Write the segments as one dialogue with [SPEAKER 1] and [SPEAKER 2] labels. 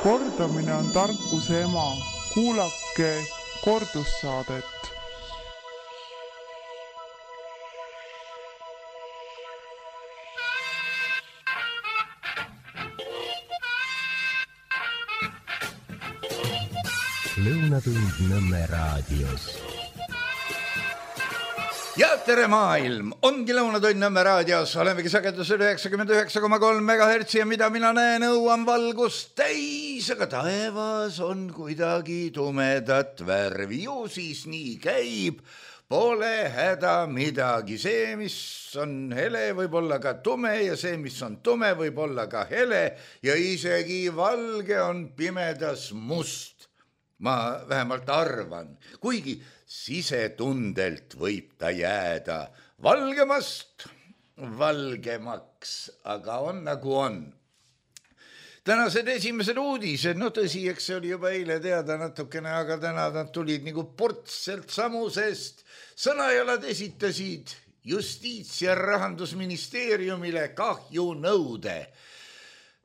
[SPEAKER 1] Kordamine on tarkuse ema. Kuulake kordussaadet.
[SPEAKER 2] Lõunatund Nõmme raadios.
[SPEAKER 3] Ja tere maailm, ongi Lõunatund Nõmme raadios, olemegi sagedusel 99,3 MHz ja mida mina näen, õuan valgust täis, aga taevas on kuidagi tumedat värvi, ju siis nii käib, pole häda midagi, see, mis on hele, võib olla ka tume ja see, mis on tume, võib olla ka hele ja isegi valge on pimedas must. Ma vähemalt arvan, kuigi sisetundelt võib ta jääda valgemast valgemaks, aga on nagu on. Tänased esimesed uudised, no tõsi, eks see oli juba eile teada natukene, aga täna nad tulid nagu portselt samusest. Sõnajalad esitasid Justiits- ja Rahandusministeeriumile kahjunõude.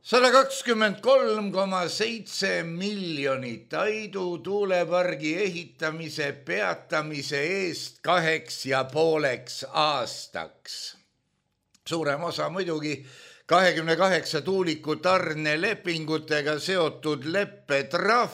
[SPEAKER 3] 123,7 miljonit Aidu tuulepargi ehitamise peatamise eest 2,5 aastaks. Suurem osa muidugi 28 tuuliku tarnelepingutega seotud leppetrahv,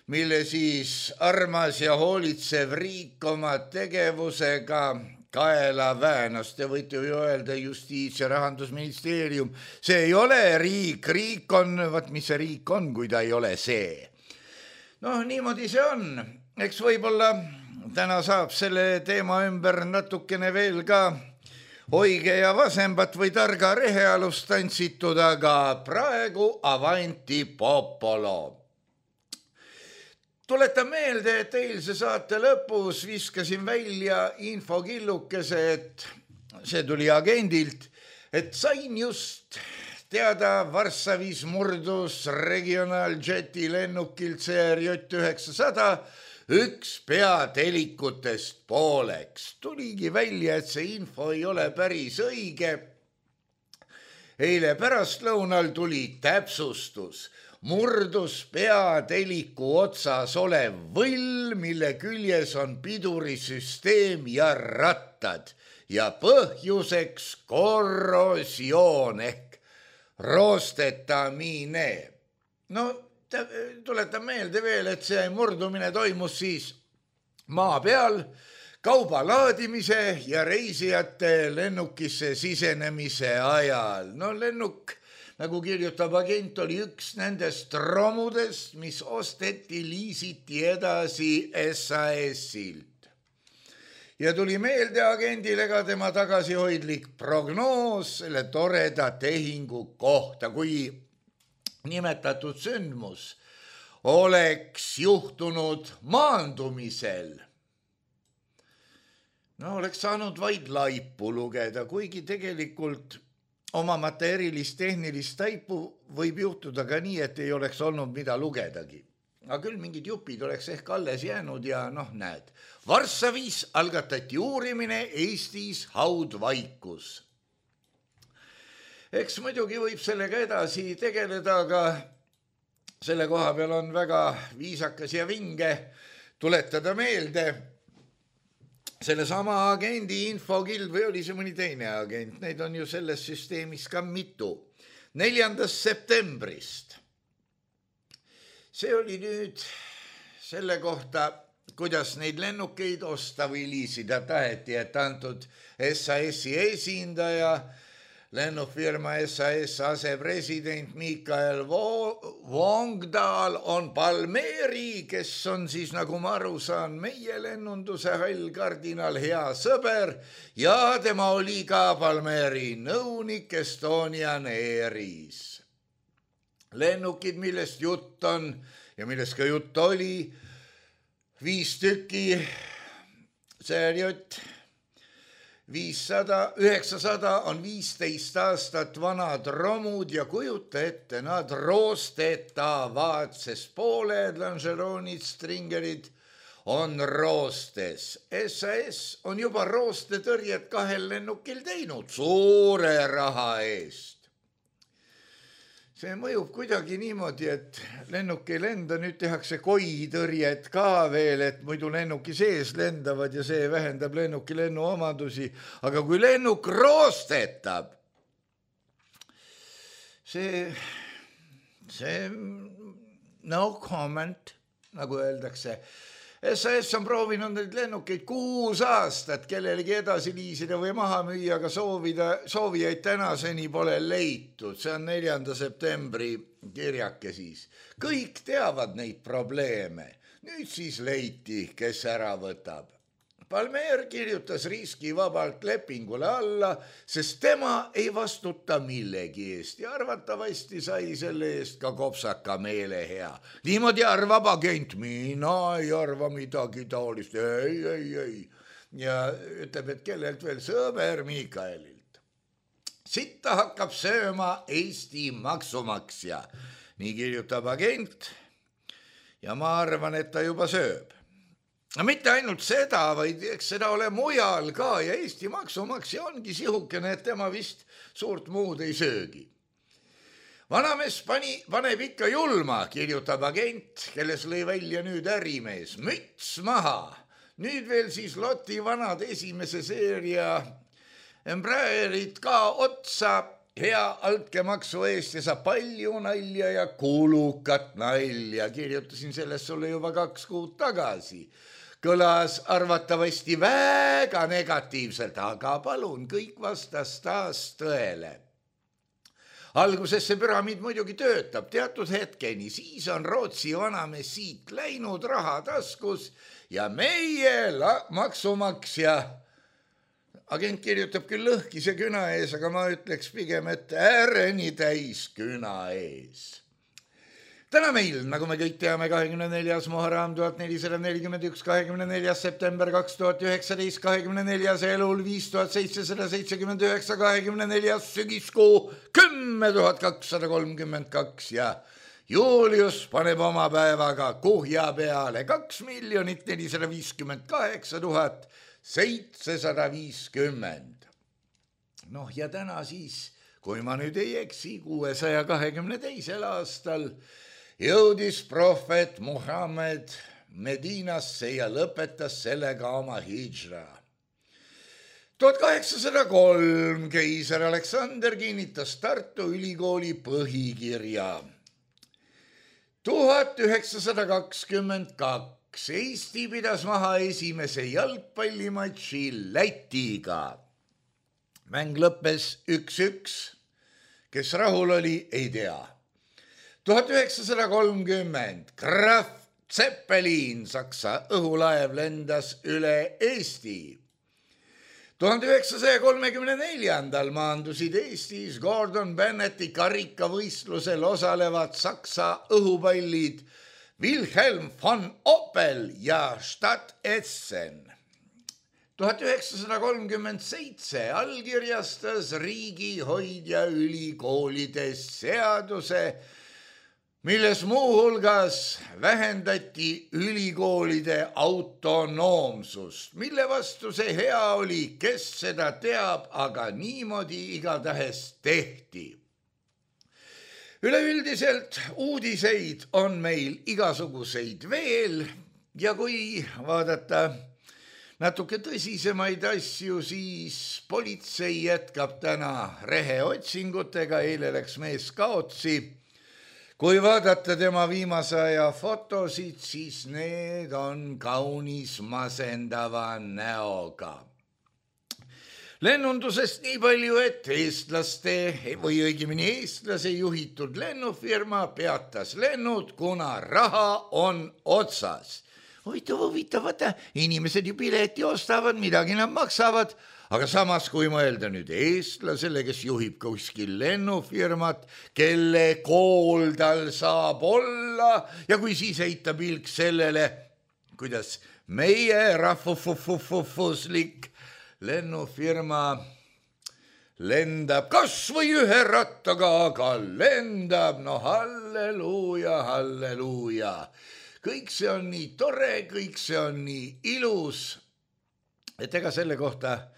[SPEAKER 3] mille siis armas ja hoolitsev riik oma tegevusega kaela väänas. Te võite ju öelda Justiits- ja Rahandusministeerium, see ei ole riik, riik on, vaat mis see riik on, kui ta ei ole see. No niimoodi see on, eks võib-olla täna saab selle teema ümber natukene veel ka oige ja vasembat või targa rehealust tantsitud, aga praegu avanti popolo. Tuletan meelde, et eilse saate lõpus viskasin välja infokillukese, et see tuli agendilt, et sain just teada Varssavis murdus regionaaljeti lennukilt CRJ900 üks peatelikutest pooleks. Tuligi välja, et see info ei ole päris õige. Eile pärastlõunal tuli täpsustus. Murdus peateliku otsas olev võll, mille küljes on pidurisüsteem ja rattad ja põhjuseks korrosioon ehk roostetamiine. No tuletan meelde veel, et see murdumine toimus siis maa peal kauba laadimise ja reisijate lennukisse sisenemise ajal. No lennuk, nagu kirjutab agent, oli üks nendest romudest, mis osteti, liisiti edasi SAS-ilt. Ja tuli meelde agendile ka tema tagasihoidlik prognoos selle toreda tehingu kohta, kui nimetatud sündmus oleks juhtunud maandumisel. No oleks saanud vaid laipu lugeda, kuigi tegelikult omamata erilist tehnilist taipu võib juhtuda ka nii, et ei oleks olnud mida lugedagi. Aga küll mingid jupid oleks ehk alles jäänud ja näed. Varssavis algatati uurimine, Eestis haudvaikus. Eks muidugi võib sellega edasi tegeleda, aga selle koha peal on väga viisakas ja vinge tuletada meelde selle sama agendi infokild või oli see mõni teine agent, neid on ju selles süsteemis ka mitu. 4. septembrist. See oli nüüd selle kohta, kuidas neid lennukeid osta või liisida taheti, et antud SAS-i esindaja, lennufirma SAS asepresident Mikael Vongdal on Palmeri, kes on siis, nagu ma aru saan, meie lennunduse hall kardinal hea sõber ja tema oli ka Palmeri nõunik Estonian Airis. Lennukid, millest jutt on ja millest ka jutt oli, 5 tükki, CRJ 900 on 15 aastat vanad romud ja kujuta ette, nad roostetavad, sest pooled longeroonid, stringerid on roostes. SAS on juba roostetõrjet 2 lennukil teinud suure raha eest. see mõjub kuidagi niimoodi, et lennuk ei lenda, nüüd tehakse koitõrjet ka veel, et muidu lennuki sees lendavad ja see vähendab lennuki lennuomadusi, aga kui lennuk roostetab, see no comment, nagu öeldakse. SAS on proovinud neid lennukeid 6 aastat kellelegi edasi liisida või maha müüa, aga soovijaid tänaseni pole leitud. See on 4. septembri kirjake siis. Kõik teavad neid probleeme. Nüüd siis leiti, kes ära võtab. Palmer kirjutas riskivabalt lepingule alla, sest tema ei vastuta millegi eest ja arvatavasti sai selle eest ka kopsaka meelehea. Niimoodi arvab agent, mina ei arva midagi taolist, ei. Ja ütleb, et kellelt veel sõber Mikaelilt. Sitta hakkab sööma Eesti maksumaksja, nii kirjutab agent ja ma arvan, et ta juba sööb. No mitte ainult seda, vaid eks seda ole mujal ka ja Eesti maksumaksja ongi sihukene, et tema vist suurt muud ei söögi. Vanamees paneb ikka julma, kirjutab agent, kelles lõi välja nüüd ärimees. Müts maha. Nüüd veel siis Loti vanad esimese seeria Embraerid ka otsa hea altkäemaksu eest ja saab palju nalja ja kulukat nalja. Kirjutasin sellest sulle juba 2 kuud tagasi. Kõlas arvatavasti väga negatiivselt, aga palun, kõik vastas taas tõele. Alguses see püramiid muidugi töötab teatud hetkeni, siis on Rootsi vanamees siit läinud raha taskus ja meie maksumaksja. Agent kirjutab küll lõhkise küna ees, aga ma ütleks pigem, et ääreni täis küna ees. Täna meil, nagu me kõik teame, 24. Muharram 1441, 24. september 2019, 24. elul 5779, 24. sügiskuu 10,232 ja Julius paneb oma päevaga kuhja peale 2 458 750. Noh ja täna siis, kui ma nüüd ei eksi, 622. aastal jõudis prohvet Muhammed Medinasse ja lõpetas sellega oma hidžra. 1803 keiser Aleksander kinnitas Tartu Ülikooli põhikirja. 1922 Eesti pidas maha esimese jalgpallimatši Lätiga. Mäng lõppes 1-1. Kes rahul oli, ei tea. 1930 Graf Zeppelin, Saksa õhulaev, lendas üle Eesti. 1934 maandusid Eestis Gordon Bennetti karikavõistlusel osalevad Saksa õhupallid Wilhelm von Opel ja Stadt Essen. 1937 allkirjastas riigihoidja ülikoolides seaduse, milles muuhulgas vähendati ülikoolide autonoomsust, mille vastu see hea oli, kes seda teab, aga niimoodi igatahes tehti. Üleüldiselt uudiseid on meil igasuguseid veel ja kui vaadata natuke tõsisemaid asju, siis politsei jätkab täna reheotsingutega, eile läks mees kaotsi. Kui vaadata tema viimase aja fotosid, siis need on kaunis masendava näoga. Lennundusest nii palju, et eestlase juhitud lennufirma peatas lennud, kuna raha on otsas. Huvitav, inimesed ju pileti ostavad, midagi nad maksavad, aga samas kui mõelda nüüd eestlasele, kes juhib kuskil lennufirmat, kelle kool tal saab olla ja kui siis heita pilk sellele, kuidas meie rahvuslik lennufirma lendab kas või ühe rattaga, aga lendab, no halleluuja, halleluuja. Kõik see on nii tore, kõik see on nii ilus, et ega selle kohta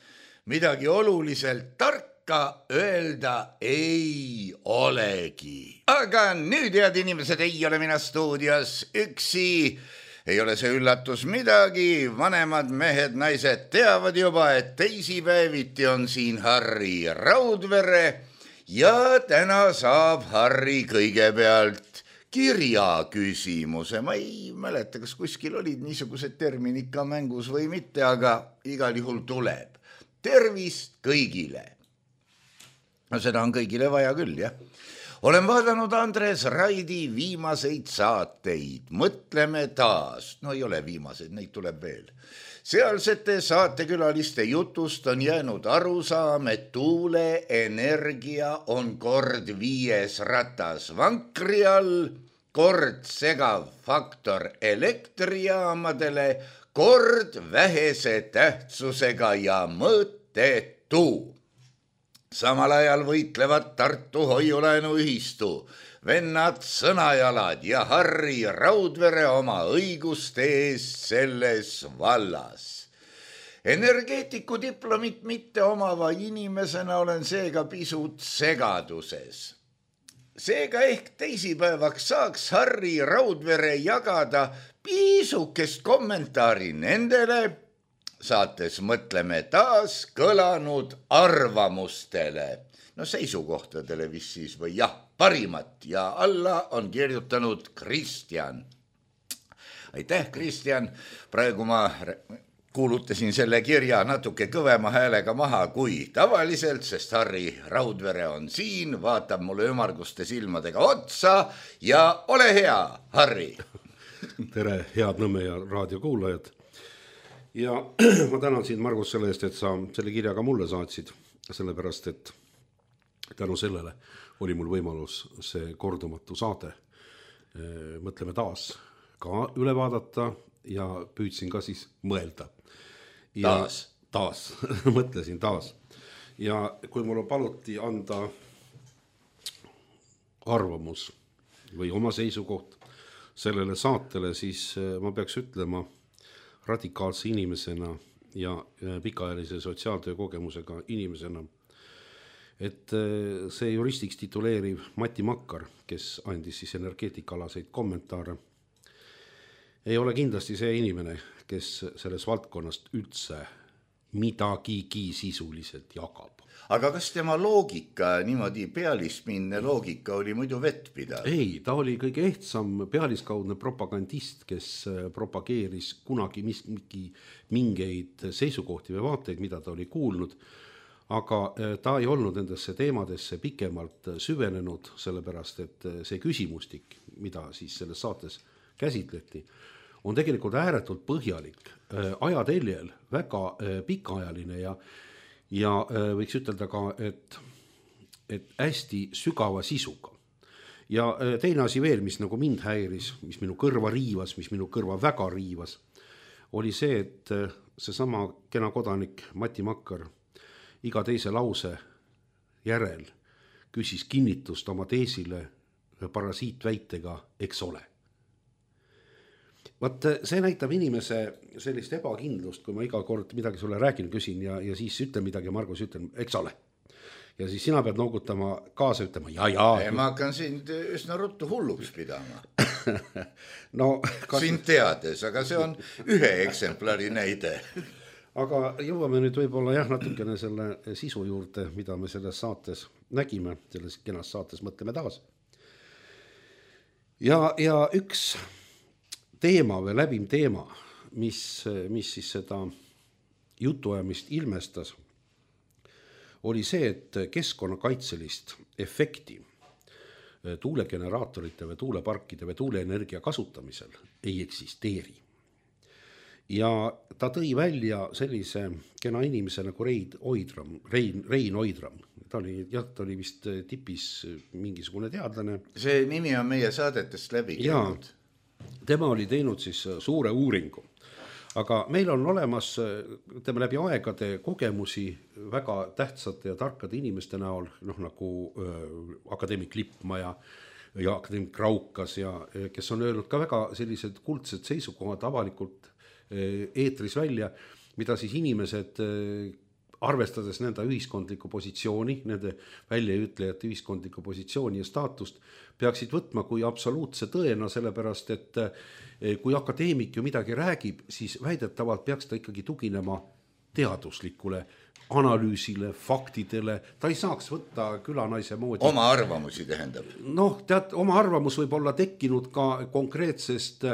[SPEAKER 3] midagi oluliselt tarka öelda ei olegi. aga nüüd, head inimesed, ei ole mina stuudios üksi. Ei ole see üllatus midagi, vanemad mehed, naised teavad juba, et teisipäeviti on siin Harri Raudvere ja täna saab Harri kõigepealt kirjaküsimuse. Ma ei mäleta, kas kuskil olid niisugused terminid ka mängus või mitte, aga igal juhul tuleb. Tervist kõigile. No seda on kõigile vaja küll, jah. Olen vaadanud Andres Raidi viimaseid saateid. Mõtleme taas. No ei ole viimaseid, neid tuleb veel. Sealsete saatekülaliste jutust on jäänud arusaam, et tuuleenergia on kord 5 ratas vankri all, kord segav faktor elektrijaamadele, kord vähese tähtsusega ja mõttetu. Samal ajal võitlevad Tartu hoiulaenuühistu, vennad Sõnajalad ja Harri Raudvere oma õiguste eest selles vallas. Energeetiku diplomit mitte omava inimesena olen seega pisut segaduses. Seega ehk teisipäevaks saaks Harri Raudvere jagada pisukest kommentaari nendele saates Mõtleme taas kõlanud arvamustele. No seisukohtadele vist siis või jah, parimat ja alla on kirjutanud Kristjan. Aitäh, Kristjan. Praegu ma kuulutasin selle kirja natuke kõvema häälega maha kui tavaliselt, sest Harri Raudvere on siin, vaatab mulle ümarguste silmadega otsa ja ole hea, Harri.
[SPEAKER 4] Tere, head Nõmme ja raadiokuulajad. Ja ma tänan sind, Margus, selle eest, et sa selle kirja ka mulle saatsid, sellepärast, et tänu sellele oli mul võimalus see kordumatu saade Mõtleme taas ka üle vaadata ja püüdsin ka siis mõelda. Ja taas. Mõtlesin taas. Ja kui mul paluti anda arvamus või oma seisukoht sellele saatele, siis ma peaks ütlema radikaalse inimesena ja pikaajalise sotsiaaltöö kogemusega inimesena, et see juristiks tituleeriv Mati Makkar, kes andis siis energeetikalaseid kommentaare, ei ole kindlasti see inimene, kes selles valdkonnast üldse midagigi sisuliselt jagab.
[SPEAKER 3] Aga kas tema loogika, niimoodi pealispinne loogika oli muidu vettpidav?
[SPEAKER 4] Ei, ta oli kõige ehtsam pealiskaudne propagandist, kes propageeris kunagi mingeid seisukohti või vaateid, mida ta oli kuulnud, aga ta ei olnud nendesse teemadesse pikemalt süvenenud, sellepärast et see küsimustik, mida siis selles saates käsitleti, on tegelikult ääretult põhjalik, ajateljel väga pikaajaline ja võiks ütelda ka, et hästi sügava sisuga. Ja teine asi veel, mis nagu mind häiris, mis minu kõrva riivas, mis minu kõrva väga riivas, oli see, et seesama kena kodanik Mati Makkar iga teise lause järel küsis kinnitust oma teesile parasiitväitega, eks ole. Vaat see näitab inimese sellist ebakindlust, kui ma iga kord midagi sulle räägin, küsin ja siis ütlen midagi, Margus ütlen, eks ole. Ja siis sina pead noogutama kaasa ütlema, ja.
[SPEAKER 3] Ma hakkan sind üsna ruttu hulluks pidama.
[SPEAKER 4] No,
[SPEAKER 3] sind teades, aga see on ühe eksemplari näide.
[SPEAKER 4] Aga jõuame nüüd võib-olla natukene selle sisu juurde, mida me selles saates nägime, selles kenas saates Mõtleme taas. Ja üks teema või läbim teema, mis siis seda jutuajamist ilmestas, oli see, et keskkonnakaitselist efekti tuulegeneraatorite või tuuleparkide või tuuleenergia kasutamisel ei eksisteeri. Ja ta tõi välja sellise kena inimese nagu Rein Oidram. Ta oli vist tipis mingisugune teadlane.
[SPEAKER 3] See nimi on meie saadetest läbi käinud.
[SPEAKER 4] Tema oli teinud siis suure uuringu, aga meil on olemas tema läbi aegade kogemusi väga tähtsate ja tarkade inimeste näol, nagu akadeemik Lippmaa ja akadeemik Raukas, kes on öelnud ka väga sellised kuldsed seisukohad avalikult eetris välja, mida siis inimesed arvestades nende ühiskondlikku positsiooni, nende väljaütlejate ühiskondlikku positsiooni ja staatust, peaksid võtma kui absoluutse tõena, sellepärast et kui akadeemik ju midagi räägib, siis väidetavalt peaks ta ikkagi tuginema teaduslikule analüüsile, faktidele, ta ei saaks võtta külanaise moodi.
[SPEAKER 3] Oma arvamusi tähendab.
[SPEAKER 4] Noh, tead, oma arvamus võib olla tekkinud ka konkreetsest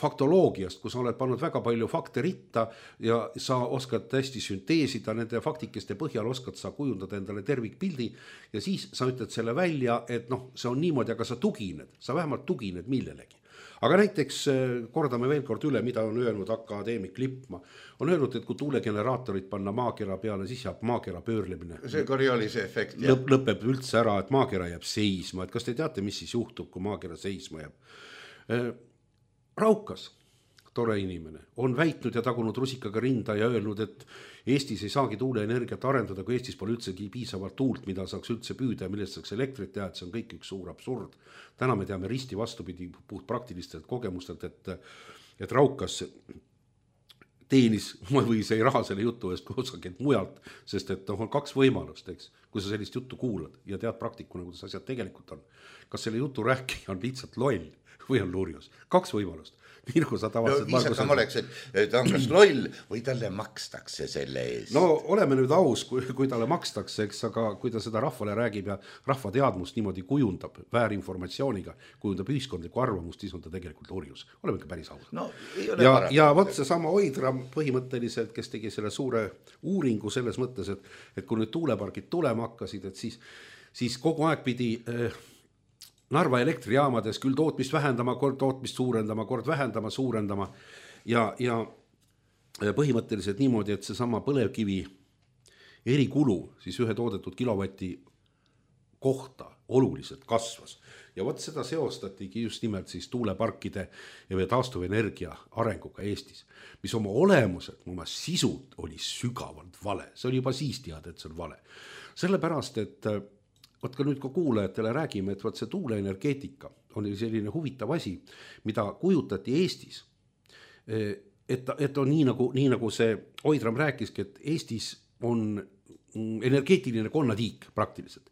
[SPEAKER 4] faktoloogiast, kus sa oled pannud väga palju fakte ritta ja sa oskad hästi sünteesida, nende faktikeste põhjal oskad sa kujundada endale tervikpildi ja siis sa ütled selle välja, et noh, see on niimoodi, aga sa vähemalt tugined millelegi. Aga näiteks kordame veel kord üle, mida on öelnud akadeemik Lippmaa. On öelnud, et kui tuulegeneraatorid panna maakera peale, siis jääb maakera pöörlemine.
[SPEAKER 3] See Coriolis'e efekt.
[SPEAKER 4] Lõpeb üldse ära, et maakera jääb seisma. Et kas te teate, mis siis juhtub, kui maakera seisma jääb? Raukas, tore inimene, on väitnud ja tagunud rusikaga rinda ja öelnud, et Eestis ei saagi tuuleenergiat arendada, kui Eestis pole üldsegi piisavalt tuult, mida saaks üldse püüda ja millest saaks elektrit teha, et see on kõik üks suur absurd. Täna me teame risti vastupidi puht praktilistelt kogemustelt, et Raukas teenis või see raha selle jutu eest kusagilt mujalt, sest et on kaks võimalust, eks, kui sa sellist juttu kuulad ja tead praktikuna, kuidas asjad tegelikult on. Kas selle jutu rääkija on lihtsalt loll või on lurjus? Kaks võimalust. Nii nagu sa tavatsed
[SPEAKER 3] viisakam oleks, et ta on kas loll või talle makstakse selle eest.
[SPEAKER 4] No oleme nüüd aus, kui talle makstakse, eks, aga kui ta seda rahvale räägib ja rahva teadmust niimoodi kujundab väärinformatsiooniga, kujundab ühiskondlikku arvamust, siis on ta tegelikult lurjus. Oleme ikka päris ausad.
[SPEAKER 3] No,
[SPEAKER 4] ja võt see sama Oidram põhimõtteliselt, kes tegi selle suure uuringu selles mõttes, et kui nüüd tuulepargid tulema hakkasid, et siis kogu aeg pidi Narva elektrijaamades küll tootmist vähendama, kord tootmist suurendama, kord vähendama, suurendama ja põhimõtteliselt niimoodi, et see sama põlevkivi erikulu siis ühe toodetud kilovati kohta oluliselt kasvas. Ja võt seda seostatigi just nimelt siis tuuleparkide ja taastuvenergia arenguga Eestis, mis oma olemuselt, oma sisult oli sügavalt vale. See oli juba siis teada, et see on vale. Sellepärast, et võt ka nüüd ka kuulajatele räägime, et võt see tuuleenergeetika on selline huvitav asi, mida kujutati Eestis. Et on nii nagu see Oidram rääkiski, et Eestis on energeetiline konnatiik praktiliselt.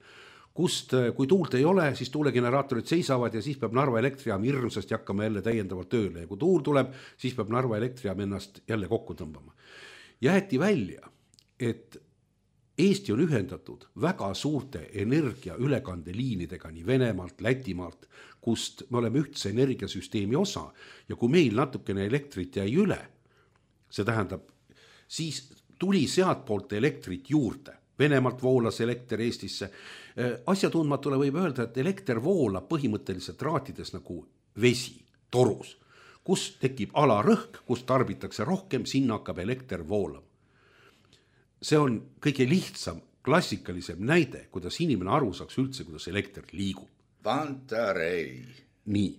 [SPEAKER 4] Kust, kui tuult ei ole, siis tuulegeneraatorid seisavad ja siis peab Narva elektrijaam hirmsasti hakkama jälle täiendavalt tööle. Ja kui tuul tuleb, siis peab Narva elektrijaam ennast jälle kokku tõmbama. Jäeti välja, et Eesti on ühendatud väga suurte energia ülekandeliinidega nii Venemaalt, Lätimaalt, kust me oleme ühtse energiasüsteemi osa ja kui meil natukene elektrit jäi üle, see tähendab, siis tuli sealt poolt elektrit juurde. Venemaalt voolas elekter Eestisse. Asjatundmatule võib öelda, et elekter voolab põhimõtteliselt raatides nagu vesi, torus, kus tekib alarõhk, kus tarbitakse rohkem, sinna hakkab elekter voolama. See on kõige lihtsam, klassikalisem näide, kuidas inimene aru saaks üldse, kuidas elekter liigub.
[SPEAKER 3] Pantarei.
[SPEAKER 4] Nii.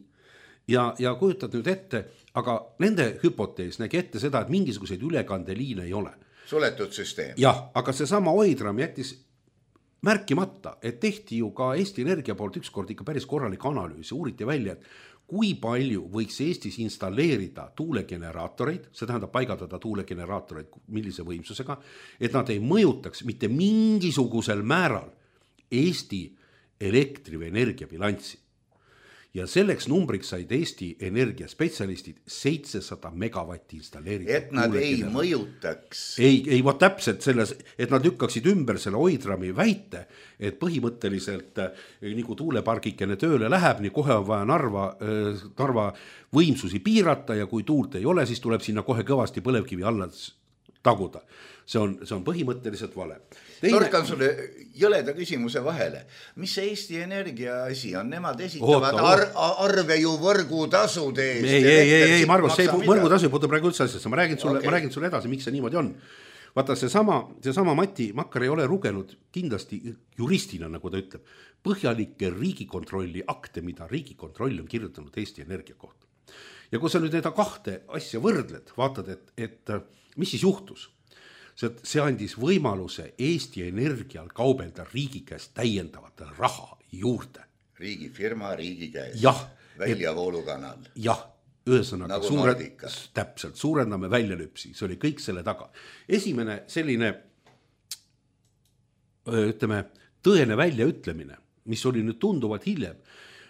[SPEAKER 4] Ja kujutad nüüd ette, aga nende hüpotees nägi ette seda, et mingisuguseid ülekandeliine ei ole.
[SPEAKER 3] Suletud süsteem.
[SPEAKER 4] Jah, aga see sama Oidram jättis märkimata, et tehti ju ka Eesti Energia poolt ükskord ikka päris korralik analüüs ja uuriti välja, et kui palju võiks Eestis installeerida tuulegeneraatoreid, see tähendab paigaldada tuulegeneraatoreid millise võimsusega, et nad ei mõjutaks mitte mingisugusel määral Eesti elektri- või energiabilanssi. Ja selleks numbriks said Eesti energiaspetsialistid 700 megavatti installeerida.
[SPEAKER 3] Et nad ei mõjutaks.
[SPEAKER 4] Ei, võt täpselt selles, et nad lükkaksid ümber selle Oidrami väite, et põhimõtteliselt nii kui tuulepargikene tööle läheb, nii kohe on vaja Narva võimsusi piirata ja kui tuult ei ole, siis tuleb sinna kohe kõvasti põlevkivi alla taguda. See on põhimõtteliselt vale.
[SPEAKER 3] Torkan sulle jõleda küsimuse vahele. Mis see Eesti Energia asi on? Nemad esitavad arve ju võrgutasude eest.
[SPEAKER 4] Ei, Margus, see võrgutasu ei puutu praegu üldse asjasse. Ma räägin sulle edasi, miks see niimoodi on. Vaata, see sama Mati Makkar ei ole lugenud kindlasti juristina, nagu ta ütleb, põhjalikke riigikontrolli akte, mida riigikontroll on kirjutanud Eesti Energia kohta. Ja kui sa nüüd need kahte asja võrdled, vaatad, et mis siis juhtus? See andis võimaluse Eesti Energial kaubelda riigi käest täiendavat raha juurde.
[SPEAKER 3] Riigifirma riigi käest.
[SPEAKER 4] Jah.
[SPEAKER 3] Väljavoolukanal.
[SPEAKER 4] Jah, ühesõnaga
[SPEAKER 3] nagu
[SPEAKER 4] täpselt suurendame väljalüpsi, see oli kõik selle taga. Esimene selline ütleme, tõene väljaütlemine, mis oli nüüd tunduvalt hiljem,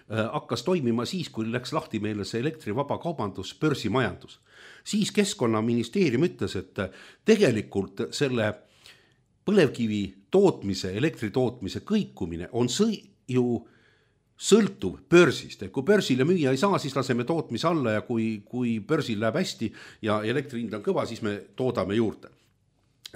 [SPEAKER 4] hakkas toimima siis, kui läks lahti meile see elektrivaba kaubandus, börsimajandus. Siis Keskkonnaministeerium ütles, et tegelikult selle põlevkivi tootmise, elektritootmise kõikumine on ju sõltuv börsist. Kui börsile müüa ei saa, siis laseme tootmise alla ja kui börsil läheb hästi ja elektrihind on kõva, siis me toodame juurde.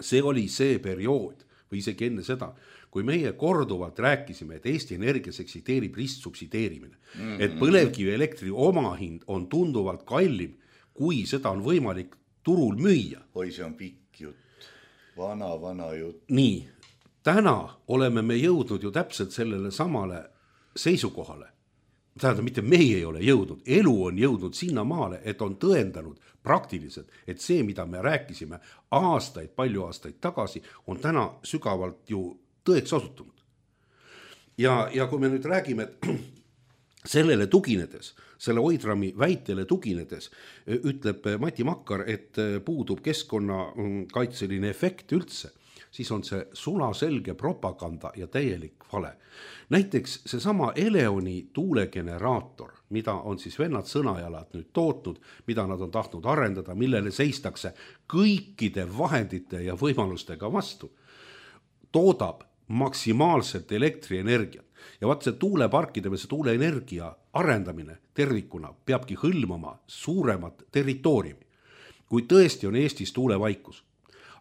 [SPEAKER 4] See oli see periood või isegi enne seda, kui meie korduvalt rääkisime, et Eesti Energias eksisteerib ristsubsideerimine. Et põlevkivi elektri omahind on tunduvalt kallim, kui seda on võimalik turul müüa.
[SPEAKER 3] Oi, see on pikk jutt. Vana jutt.
[SPEAKER 4] Nii, täna oleme me jõudnud ju täpselt sellele samale seisukohale. Tähendab, mitte meie ei ole jõudnud. Elu on jõudnud sinna maale, et on tõendanud praktiliselt, et see, mida me rääkisime palju aastaid tagasi, on täna sügavalt ju tõeks osutunud. Ja kui me nüüd räägime, et sellele tuginedes, selle Oidrami väitele tuginedes, ütleb Mati Makkar, et puudub keskkonnakaitseline efekt üldse, siis on see sulaselge propaganda ja täielik vale. Näiteks seesama Eleoni tuulegeneraator, mida on siis vennad sõnajalad nüüd tootnud, mida nad on tahtnud arendada, millele seistakse kõikide vahendite ja võimalustega vastu, toodab maksimaalselt elektrienergiat. Ja vaat see tuuleparkide või see tuuleenergia arendamine tervikuna peabki hõlmama suuremat territooriumi. Kui tõesti on Eestis tuulevaikus,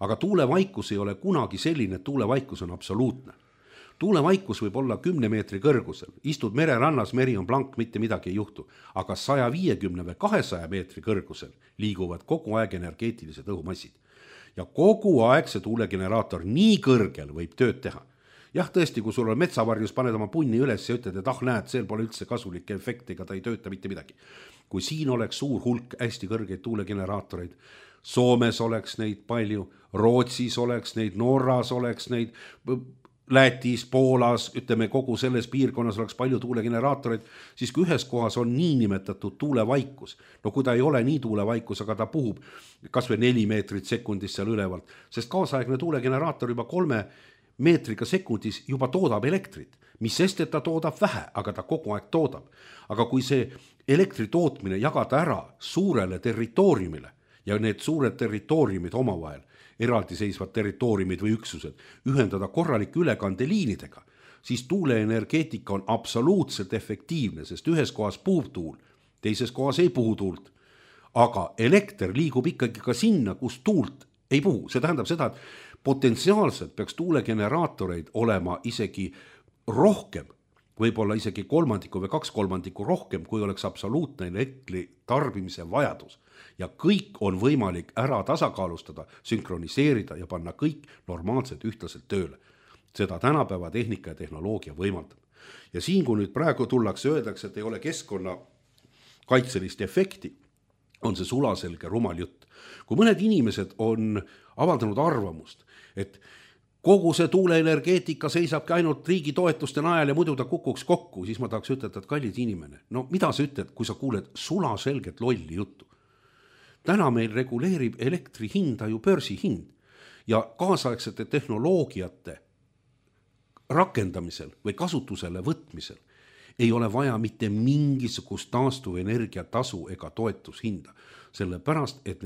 [SPEAKER 4] aga tuulevaikus ei ole kunagi selline, et tuulevaikus on absoluutne. Tuulevaikus võib olla 10 meetri kõrgusel, istud mererannas, meri on blank, mitte midagi ei juhtu, aga 150 või 200 meetri kõrgusel liiguvad kogu aeg energeetilised õhumassid. Ja kogu aeg see tuulegeneraator nii kõrgel võib tööd teha. Jah, tõesti, kui sul on metsavarjus, paned oma punni üles ja ütled, et näed, seal pole üldse kasulikke efektiga, ta ei tööta mitte midagi. Kui siin oleks suur hulk hästi kõrgeid tuulegeneraatoreid, Soomes oleks neid palju, Rootsis oleks neid, Norras oleks neid, Lätis, Poolas, ütleme kogu selles piirkonnas oleks palju tuulegeneraatoreid, siis kui ühes kohas on niinimetatud tuulevaikus, no kui ta ei ole nii tuulevaikus, aga ta puhub kas või 4 meetrit sekundis seal ülevalt, sest kaasaegne tuulegeneraator juba 3 meetriga sekundis juba toodab elektrit, mis sest, et ta toodab vähe, aga ta kogu aeg toodab. Aga kui see elektri tootmine jagada ära suurele territooriumile ja need suured territooriumid omavahel, eraldiseisvad territooriumid või üksused, ühendada korralike ülekandeliinidega, siis tuuleenergeetika on absoluutselt efektiivne, sest ühes kohas puhub tuul, teises kohas ei puhu tuult. Aga elekter liigub ikkagi ka sinna, kus tuult ei puhu. See tähendab seda, et potentsiaalselt peaks tuulegeneraatoreid olema isegi rohkem, võib-olla isegi 1/3 või 2/3 rohkem, kui oleks absoluutne elektri tarbimise vajadus. Ja kõik on võimalik ära tasakaalustada, sünkroniseerida ja panna kõik normaalselt ühtlaselt tööle. Seda tänapäeva tehnika ja tehnoloogia võimaldab. Ja siin, kui nüüd praegu tullakse, öeldakse, et ei ole keskkonna kaitselist efekti, on see sulaselge rumal jutt. Kui mõned inimesed on avaldanud arvamust, et kogu see tuuleenergeetika seisabki ainult riigi toetuste najal ja muidu ta kukuks kokku, siis ma tahaks ütelda, et kallid inimene, no mida sa ütled, kui sa kuuled sulaselget lolli juttu? Täna meil reguleerib elektri hinda ju börsihind ja kaasaegsete tehnoloogiate rakendamisel või kasutusele võtmisel ei ole vaja mitte mingisugust taastuvenergia tasu ega toetushinda, sellepärast, et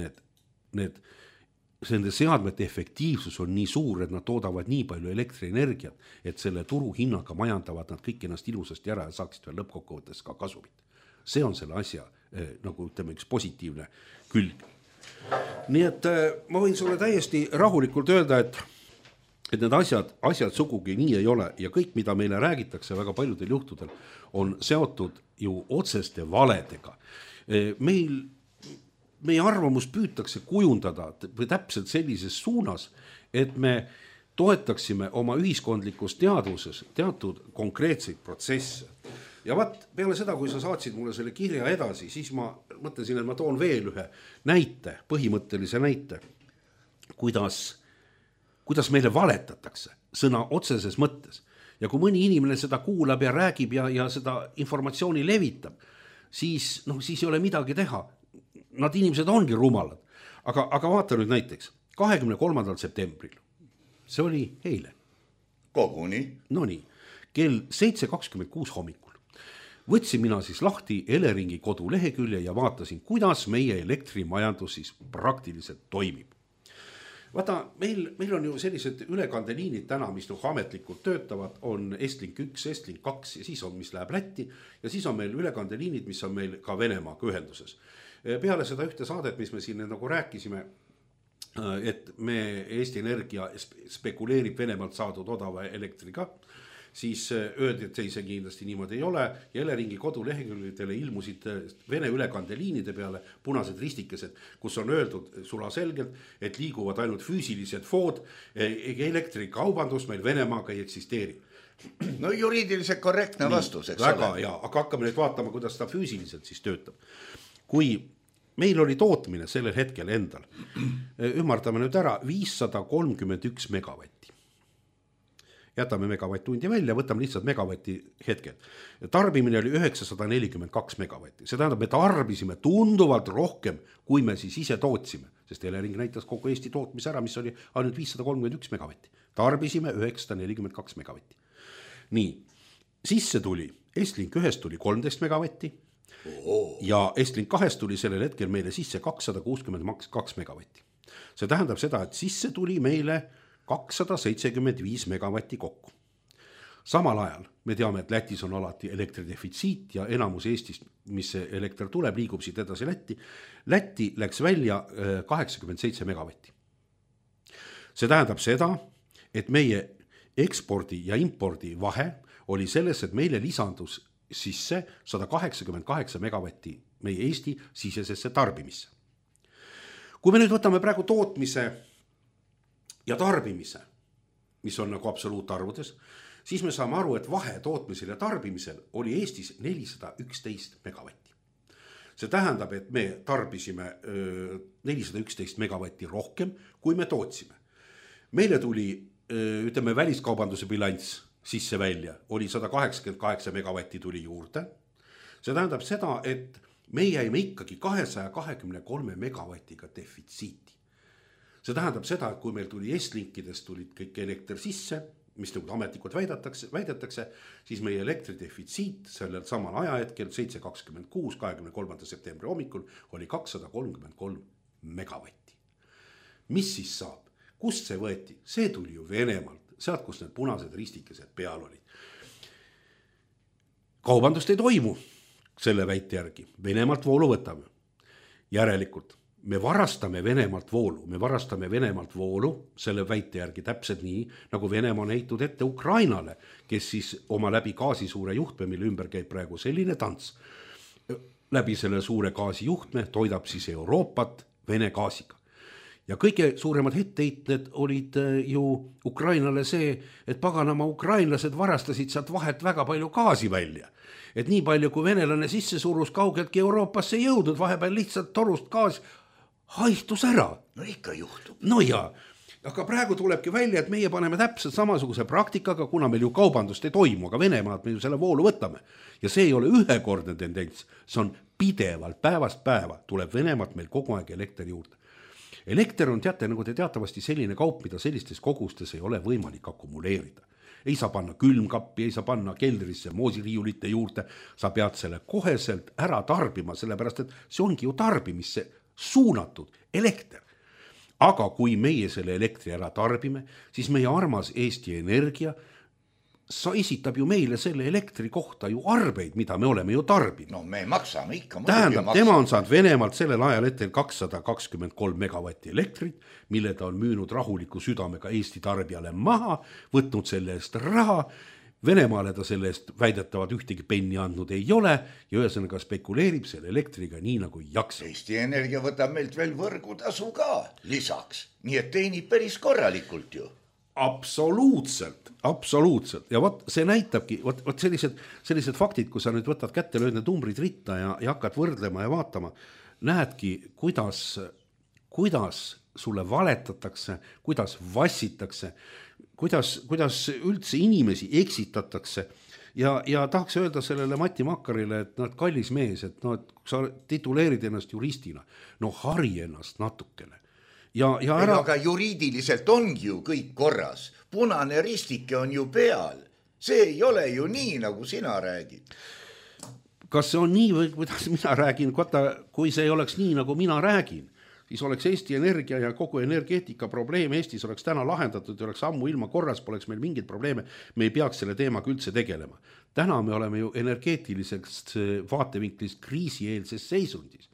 [SPEAKER 4] nende seadmete efektiivsus on nii suur, et nad toodavad nii palju elektrienergiat, et selle turuhinnaga majandavad nad kõik ennast ilusasti ära ja saaksid veel lõppkokkuvõttes ka kasumit. See on selle asja, nagu ütleme, üks positiivne külg. Nii et ma võin sulle täiesti rahulikult öelda, et need asjad sugugi nii ei ole ja kõik, mida meile räägitakse väga paljudel juhtudel, on seotud ju otseste valedega. Meie arvamus püütakse kujundada või täpselt sellises suunas, et me toetaksime oma ühiskondlikus teadvuses teatud konkreetseid protsesse. Ja peale seda, kui sa saatsid mulle selle kirja edasi, siis ma mõtlesin, et ma toon veel ühe näite, põhimõttelise näite, kuidas meile valetatakse sõna otseses mõttes. Ja kui mõni inimene seda kuulab ja räägib ja seda informatsiooni levitab, siis ei ole midagi teha. Nad inimesed ongi rumalad. Aga vaata nüüd näiteks 23. septembril, see oli eile,
[SPEAKER 3] Koguni.
[SPEAKER 4] No nii, kell 7:26 hommikul võtsin mina siis lahti Eleringi kodulehekülje ja vaatasin, kuidas meie elektrimajandus siis praktiliselt toimib. Vaata, meil on ju sellised ülekandeliinid täna, mis ametlikult töötavad, on Estlink 1, Estlink 2 ja siis on, mis läheb Lätti ja siis on meil ülekandeliinid, mis on meil ka Venemaaga ühenduses. Peale seda ühte saadet, mis me siin nagu rääkisime, et Eesti Energia spekuleerib Venemaalt saadud odava elektriga, siis öeldi, et see kindlasti niimoodi ei ole ja Eleringi kodulehekülgedele ilmusid Vene ülekandeliinide peale punased ristikesed, kus on öeldud sulaselgelt, et liiguvad ainult füüsilised food, elektrikaubandus meil Venemaaga ei eksisteeri.
[SPEAKER 3] No juriidiliselt korrektne vastus, eks
[SPEAKER 4] väga ole. Aga hakkame nüüd vaatama, kuidas ta füüsiliselt siis töötab. Kui meil oli tootmine sellel hetkel endal, ümardame nüüd ära 531 megavatti. Jätame megavatt-tundi välja, võtame lihtsalt megavatti hetkel. Tarbimine oli 942 megavatti. See tähendab, me tarbisime tunduvalt rohkem, kui me siis ise tootsime, sest Elering näitas kogu Eesti tootmise ära, mis oli ainult 531 megavatti. Tarbisime 942 megavatti. Nii, sisse tuli, Estlink 1 tuli 13 megavatti ja Estlink 2 tuli sellel hetkel meile sisse 262 megavatti. See tähendab seda, et sisse tuli meile 275 megavatti kokku. Samal ajal me teame, et Lätis on alati elektridefitsiit ja enamus Eestist, mis elekter tuleb, liigub siit edasi Lätti. Lätti läks välja 87 megavatti. See tähendab seda, et meie ekspordi ja impordi vahe oli selles, et meile lisandus sisse 188 megavatti meie Eesti sisesesse tarbimisse. Kui me nüüd võtame praegu tootmise ja tarbimise, mis on nagu absoluutarvudes, siis me saame aru, et vahe tootmisel ja tarbimisel oli Eestis 411 megavatti. See tähendab, et me tarbisime 411 megavatti rohkem, kui me tootsime. Meile tuli, ütleme, väliskaubanduse bilanss sisse välja, oli 188 megavatti tuli juurde. See tähendab seda, et me jäime ikkagi 223 megavatiga defitsiiti. See tähendab seda, et kui meil tuli Estlinkidest tulid kõik elekter sisse, mis nagu ametlikult väidetakse, siis meie elektridefitsiit sellel samal ajahetkel 7.26, 23. septembri hommikul oli 233 megavatti. Mis siis saab? Kust see võeti? See tuli ju Venemaalt, sealt, kus need punased ristikesed peal olid. Kaubandust ei toimu selle väite järgi. Venemaalt voolu võtame. Järelikult me varastame Venemaalt voolu selle väite järgi täpselt nii, nagu Venemaa on heitud ette Ukrainale, kes siis oma läbi gaasisuure juhtme, mille ümber käib praegu selline tants, läbi selle suure gaasijuhtme toidab siis Euroopat Vene gaasiga. Ja kõige suuremad hetteited olid ju Ukrainale see, et paganama ukrainlased varastasid sealt vahet väga palju gaasi välja. Et nii palju, kui venelane sisse surus, kaugeltki Euroopasse jõudnud, vahepeal lihtsalt torust gaas haihtus ära.
[SPEAKER 3] No ikka juhtub.
[SPEAKER 4] No jaa, aga praegu tulebki välja, et meie paneme täpselt samasuguse praktikaga, kuna meil ju kaubandust ei toimu, aga Venemaad me ju selle voolu võtame. Ja see ei ole ühekordne tendents, see on pidevalt päevast päeva, tuleb Venemaalt meil kogu aeg elekter juurde. Elekter on, teate, nagu te teatavasti selline kaup, mida sellistes kogustes ei ole võimalik akumuleerida. Ei saa panna külmkappi, ei saa panna keldrisse moosiriiulite juurde, sa pead selle koheselt ära tarbima, sellepärast et see ongi ju tarbimisse suunatud elekter. Aga kui meie selle elektri ära tarbime, siis meie armas Eesti Energia esitab ju meile selle elektri kohta ju arveid, mida me oleme ju tarbinud.
[SPEAKER 3] No me maksame ikka.
[SPEAKER 4] Tähendab, tema on saanud Venemaalt sellel ajal hetkel 223 megavatti elektrit, mille ta on müünud rahuliku südamega Eesti tarbijale maha, võtnud selle eest raha, Venemaale ta selle eest väidetavad ühtegi penni andnud ei ole ja ühesõnaga spekuleerib selle elektriga nii nagu jaksa.
[SPEAKER 3] Eesti Energia võtab meilt veel võrgutasu ka lisaks, nii et teenib päris korralikult ju.
[SPEAKER 4] Absoluutselt. Ja võt, see näitabki, võt sellised faktid, kui sa nüüd võtad kätte, lööd need numbrid ritta ja hakkad võrdlema ja vaatama, näedki, kuidas sulle valetatakse, kuidas vassitakse, kuidas üldse inimesi eksitatakse ja tahaks öelda sellele Mati Makkarile, et no, kallis mees, et no, sa tituleerid ennast juristina, no hari ennast natukene.
[SPEAKER 3] Aga juriidiliselt ongi ju kõik korras. Punane ristike on ju peal. See ei ole ju nii, nagu sina räägid.
[SPEAKER 4] Kas see on nii või kuidas mina räägin? Kui see ei oleks nii, nagu mina räägin, siis oleks Eesti Energia ja kogu energeetika probleem Eestis oleks täna lahendatud ja oleks ammu ilma korras, poleks meil mingid probleeme, me ei peaks selle teemaga üldse tegelema. Täna me oleme ju energeetilisest vaatevinklist kriisieelses seisundis,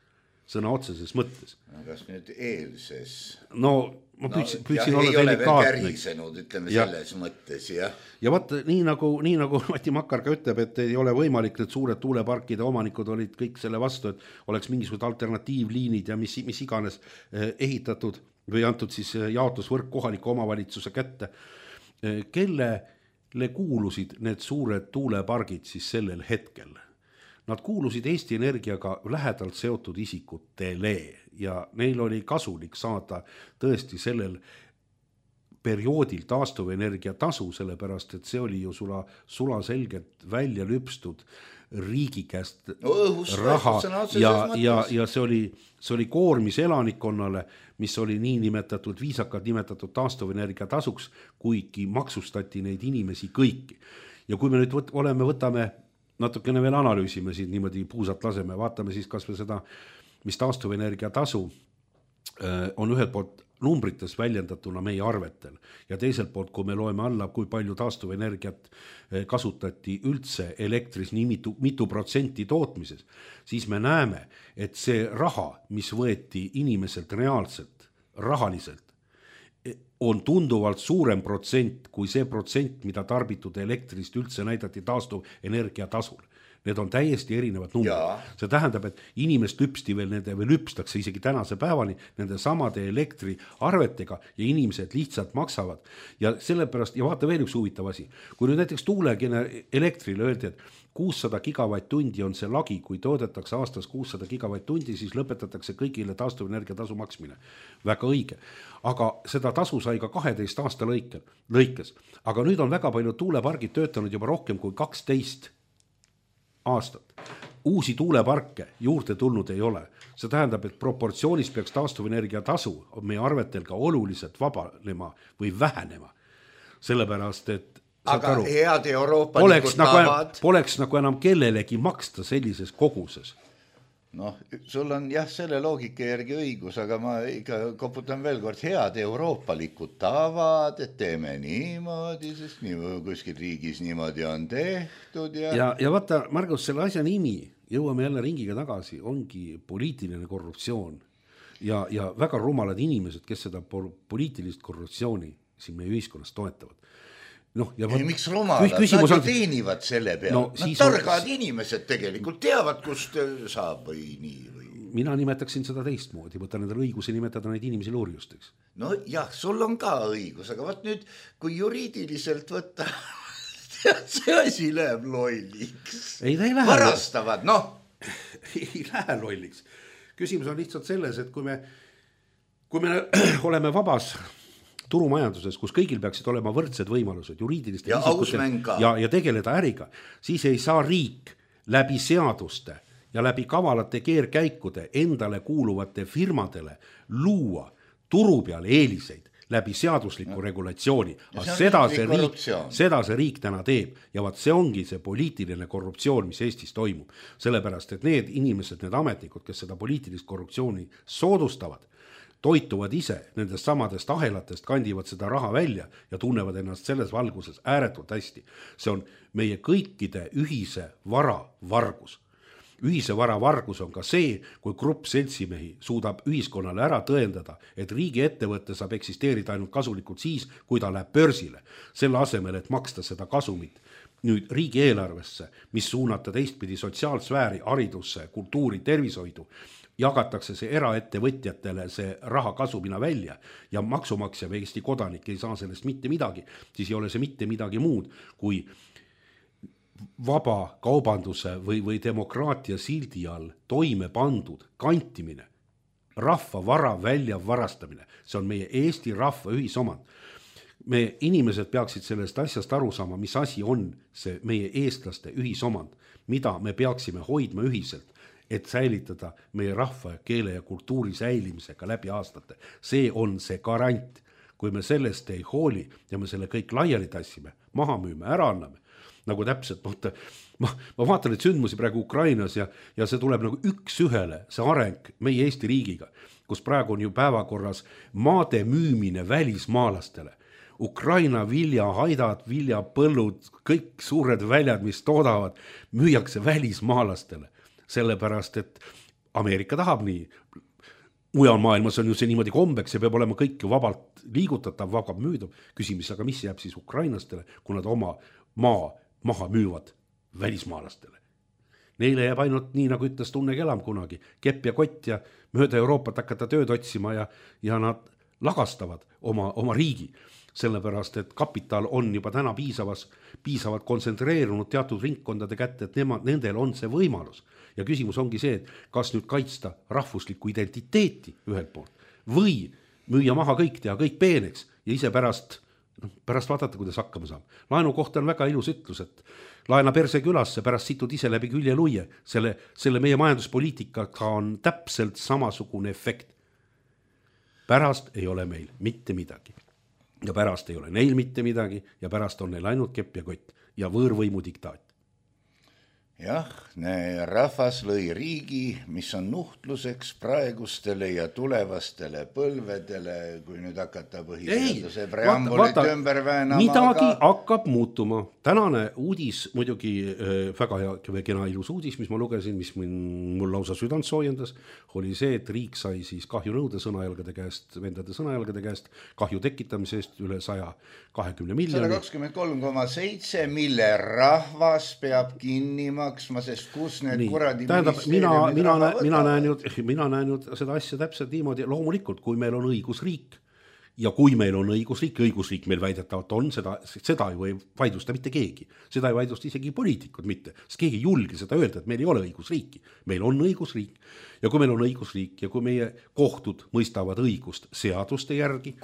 [SPEAKER 4] sõna otseses mõttes.
[SPEAKER 3] Kas nüüd eelses?
[SPEAKER 4] No ma püüdsin olla
[SPEAKER 3] ei ole veel kärisenud, ütleme selles mõttes, jah.
[SPEAKER 4] Ja vaata, nii nagu Mati Makkar ka ütleb, et ei ole võimalik, need suured tuuleparkide omanikud olid kõik selle vastu, et oleks mingisugused alternatiivliinid ja mis iganes ehitatud või antud siis jaotusvõrk kohaliku omavalitsuse kätte. Kellele kuulusid need suured tuulepargid siis sellel hetkel? Nad kuulusid Eesti Energiaga lähedalt seotud isikutele ja neil oli kasulik saada tõesti sellel perioodil taastuvenergia tasu, sellepärast, et see oli ju sula selgelt välja lüpstud riigi käest raha ja see oli koormis elanikkonnale, mis oli nii nimetatud, viisakalt nimetatud taastuvenergia tasuks, kuigi maksustati neid inimesi kõiki. Ja kui me nüüd võtame natukene veel analüüsime siin niimoodi puusat laseme, vaatame siis kas või seda, mis taastuvenergia tasu on ühelt poolt numbrites väljendatuna meie arvetel ja teiselt poolt, kui me loeme alla, kui palju taastuvenergiat kasutati üldse elektris nii mitu protsenti tootmises, siis me näeme, et see raha, mis võeti inimeselt reaalselt, rahaliselt, on tunduvalt suurem protsent kui see protsent, mida tarbitud elektrist üldse näidati taastuvenergia tasul. Need on täiesti erinevad numbrid. See tähendab, et inimest lüpsti veel nende või lüpstakse isegi tänase päevani nende samade elektriarvetega ja inimesed lihtsalt maksavad. Ja sellepärast, ja vaata veel üks huvitav asi, kui nüüd näiteks tuuleelektrile öeldi, et 600 gigavatt-tundi on see lagi, kui toodetakse aastas 600 gigavatt-tundi, siis lõpetatakse kõigile taastuvenergia tasu maksmine. Väga õige. Aga seda tasu sai ka 12 aasta lõikes. Aga nüüd on väga palju tuulepargid töötanud juba rohkem kui 12 aastat. Uusi tuuleparke juurde tulnud ei ole. See tähendab, et proportsioonis peaks taastuvenergia tasu meie arvetel ka oluliselt vabanema või vähenema. Sellepärast, et
[SPEAKER 3] aga head euroopalikud tavad
[SPEAKER 4] poleks nagu enam kellelegi maksta sellises koguses.
[SPEAKER 3] Noh, sul on jah selle loogika järgi õigus, aga ma ikka koputan veel kord head euroopalikud tavad, et teeme niimoodi, sest kuskil riigis niimoodi on tehtud.
[SPEAKER 4] Ja vaata, Margus, selle asja nimi, jõuame jälle ringiga tagasi, ongi poliitiline korruptsioon ja väga rumalad inimesed, kes seda poliitilist korruptsiooni siin meie ühiskonnas toetavad.
[SPEAKER 3] Miks rumalad? Nad teenivad selle peale. Nad targad inimesed tegelikult teavad, kust saab või nii.
[SPEAKER 4] Mina nimetaksin seda teistmoodi, võtta nendel õiguse nimetada neid inimesi loorjusteks.
[SPEAKER 3] No jah, sul on ka õigus, aga vaat nüüd, kui juriidiliselt võtta, see asi läheb lolliks.
[SPEAKER 4] Ei, ta ei lähe.
[SPEAKER 3] Varastavad,
[SPEAKER 4] Ei lähe lolliks. Küsimus on lihtsalt selles, et kui me oleme vabas turumajanduses, kus kõigil peaksid olema võrdsed võimalused juriidiliste ja tegeleda äriga, siis ei saa riik läbi seaduste ja läbi kavalate keerkäikude endale kuuluvate firmadele luua turu peal eeliseid läbi seadusliku regulatsiooni. Seda see riik täna teeb ja vaat see ongi see poliitiline korruptsioon, mis Eestis toimub. Sellepärast, et need inimesed, need ametnikud, kes seda poliitilist korruptsiooni soodustavad, toituvad ise nendest samadest ahelatest, kandivad seda raha välja ja tunnevad ennast selles valguses ääretult hästi. See on meie kõikide ühise vara vargus. Ühise vara vargus on ka see, kui grupp seltsimehi suudab ühiskonnale ära tõendada, et riigi ettevõtte saab eksisteerida ainult kasulikult siis, kui ta läheb börsile. Selle asemel, et maksta seda kasumit nüüd riigi eelarvesse, mis suunata teistpidi sotsiaalsfääri, haridusse, kultuuri, tervishoidu, jagatakse see eraettevõtjatele see raha kasumina välja ja maksumaksja või Eesti kodanik ei saa sellest mitte midagi, siis ei ole see mitte midagi muud kui vaba kaubanduse või demokraatia sildi all toime pandud kantimine, rahva vara välja varastamine. See on meie Eesti rahva ühisomand. Me inimesed peaksid sellest asjast aru saama, mis asi on see meie eestlaste ühisomand, mida me peaksime hoidma ühiselt. et säilitada meie rahva, keele ja kultuuri säilimisega läbi aastate. See on see garant. Kui me sellest ei hooli ja me selle kõik laiali tassime, maha müüme, ära anname, nagu täpselt, ma vaatan neid sündmusi praegu Ukrainas ja see tuleb nagu üks ühele, see areng meie Eesti riigiga, kus praegu on ju päevakorras maade müümine välismaalastele. Ukraina viljahaidad, viljapõllud, kõik suured väljad, mis toodavad, müüakse välismaalastele. Sellepärast, et Ameerika tahab nii. Mujal maailmas on ju see niimoodi kombeks, see peab olema kõik ju vabalt liigutatav, vabalt müüdav. Küsimus, aga mis jääb siis ukrainlastele, kui nad oma maa maha müüvad välismaalastele? Neile jääb ainult nii, nagu ütles Tunne Kelam kunagi, kepp ja kott ja mööda Euroopat hakata tööd otsima ja nad lagastavad oma riigi. Sellepärast, et kapital on juba täna piisavalt kontsentreerunud teatud ringkondade kätte, et nendel on see võimalus. Ja küsimus ongi see, et kas nüüd kaitsta rahvuslikku identiteeti ühelt poolt või müüa maha kõik, teha kõik peeneks ja ise pärast vaadata, kuidas hakkama saab. Laenu kohta on väga ilus ütlus, et laena perse külasse, pärast situd ise läbi külje luie. Selle meie majanduspoliitikaga on täpselt samasugune efekt. Pärast ei ole meil mitte midagi. Ja pärast ei ole neil mitte midagi ja pärast on neil ainult kepp ja kott ja võõrvõimu diktaat.
[SPEAKER 3] Jah, rahvas lõi riigi, mis on nuhtluseks praegustele ja tulevastele põlvedele, kui nüüd hakata põhiseaduse preambulit ümber väänama.
[SPEAKER 4] Midagi hakkab muutuma. Tänane uudis, muidugi väga hea, kena ilus uudis, mis ma lugesin, mis mul lausa südant soojendas, oli see, et riik sai siis kahjunõude vendade sõnajalgade käest, kahju tekitamise eest üle 120 miljoni.
[SPEAKER 3] 123,7, mille rahvas peab kinni maksma, sest kus need kuradi
[SPEAKER 4] mina näen ju seda asja täpselt niimoodi, loomulikult, kui meil on õigusriik ja kui meil on õigusriik meil väidetavalt on, seda ju ei vaidlusta mitte keegi, seda ei vaidlusta isegi poliitikud mitte, sest keegi ei julge seda öelda, et meil ei ole õigusriiki, meil on õigusriik ja kui meil on õigusriik ja kui meie kohtud mõistavad õigust seaduste järgi,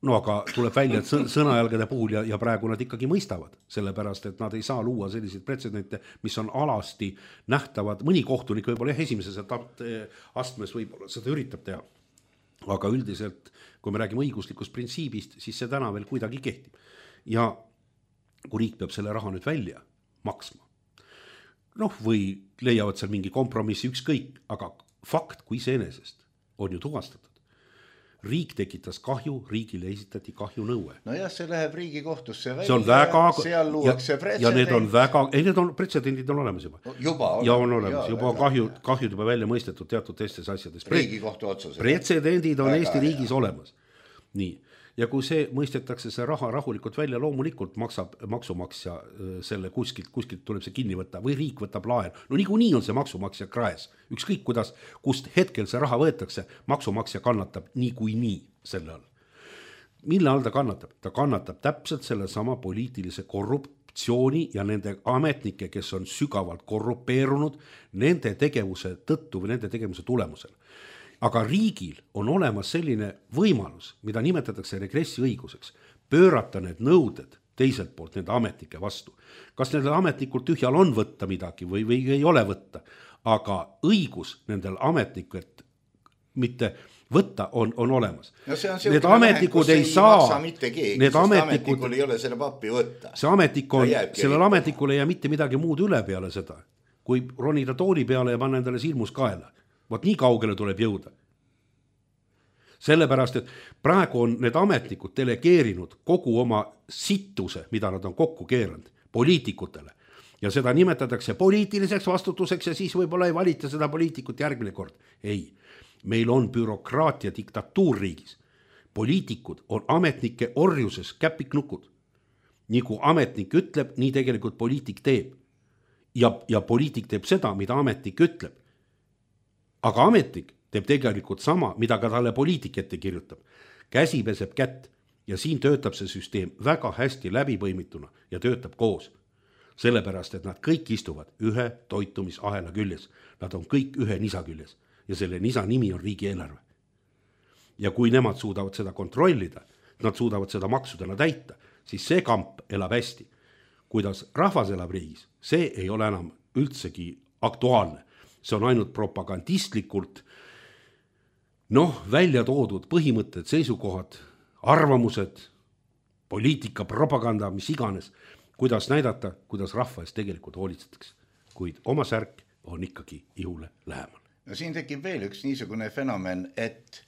[SPEAKER 4] no aga tuleb välja, et sõnajalgade puhul ja praegu nad ikkagi mõistavad, sellepärast, et nad ei saa luua selliseid pretsedente, mis on alasti nähtavad, mõni kohtunik võib-olla esimeses astmes võib-olla seda üritab teha, aga üldiselt, kui me räägime õiguslikust printsiibist, siis see täna veel kuidagi kehtib. Ja kui riik peab selle raha nüüd välja maksma, või leiavad seal mingi kompromissi ükskõik, aga fakt kui iseenesest on ju tuvastatud. Riik tekitas kahju, riigile esitati kahjunõue.
[SPEAKER 3] No jah, see läheb Riigikohtusse välja,
[SPEAKER 4] see on väga,
[SPEAKER 3] seal luuakse pretsedent.
[SPEAKER 4] Ja need on pretsedendid on olemas juba. Ja on olemas, juba kahjud juba välja mõistetud teatud teistes asjades.
[SPEAKER 3] Riigikohtu otsused.
[SPEAKER 4] Pretsedendid on Eesti riigis olemas. Nii. Ja kui see mõistetakse see raha rahulikult välja, loomulikult maksab maksumaksja selle kuskilt tuleb see kinni võtta või riik võtab laen. No nii on see maksumaksja kraes. Ükskõik kust hetkel see raha võetakse, maksumaksja kannatab nii selle all. Mille all ta kannatab? Ta kannatab täpselt selle sama poliitilise korruptsiooni ja nende ametnike, kes on sügavalt korrupeerunud nende tegevuse tõttu või nende tegevuse tulemusel. Aga riigil on olemas selline võimalus, mida nimetatakse regressiõiguseks, pöörata need nõuded teiselt poolt nende ametnike vastu. Kas nendel ametnikult tühjal on võtta midagi või ei ole võtta, aga õigus nendel ametnikud mitte võtta on olemas.
[SPEAKER 3] No see on need ametnikud ei maksa mitte keegi, sest ametnikul ei ole selle pappi võtta.
[SPEAKER 4] Sellel ametnikul ei jää mitte midagi muud üle peale seda, kui ronida tooli peale ja panna endale silmus kaela. Vaat nii kaugele tuleb jõuda. Sellepärast, et praegu on need ametnikud delegeerinud kogu oma sittuse, mida nad on kokku keeranud, poliitikutele. Ja seda nimetatakse poliitiliseks vastutuseks ja siis võib-olla ei valita seda poliitikut järgmine kord. Ei, meil on bürokraatia diktatuur riigis. Poliitikud on ametnike orjuses käpiknukud. Nii kui ametnik ütleb, nii tegelikult poliitik teeb. Ja poliitik teeb seda, mida ametnik ütleb. Aga ametnik teeb tegelikult sama, mida ka talle poliitik ette kirjutab. Käsi peseb kätt ja siin töötab see süsteem väga hästi läbipõimituna ja töötab koos. Sellepärast, et nad kõik istuvad ühe toitumisahela küljes. Nad on kõik ühe nisa küljes ja selle nisa nimi on riigieelarve. Ja kui nemad suudavad seda kontrollida, nad suudavad seda maksudena täita, siis see kamp elab hästi. Kuidas rahvas elab riigis, see ei ole enam üldsegi aktuaalne. See on ainult propagandistlikult välja toodud põhimõtted, seisukohad, arvamused, poliitika, propaganda, mis iganes, kuidas näidata, kuidas rahva eest tegelikult hoolitsetakse. Kuid oma särk on ikkagi ihule lähemal.
[SPEAKER 3] No siin tekib veel üks niisugune fenomen, et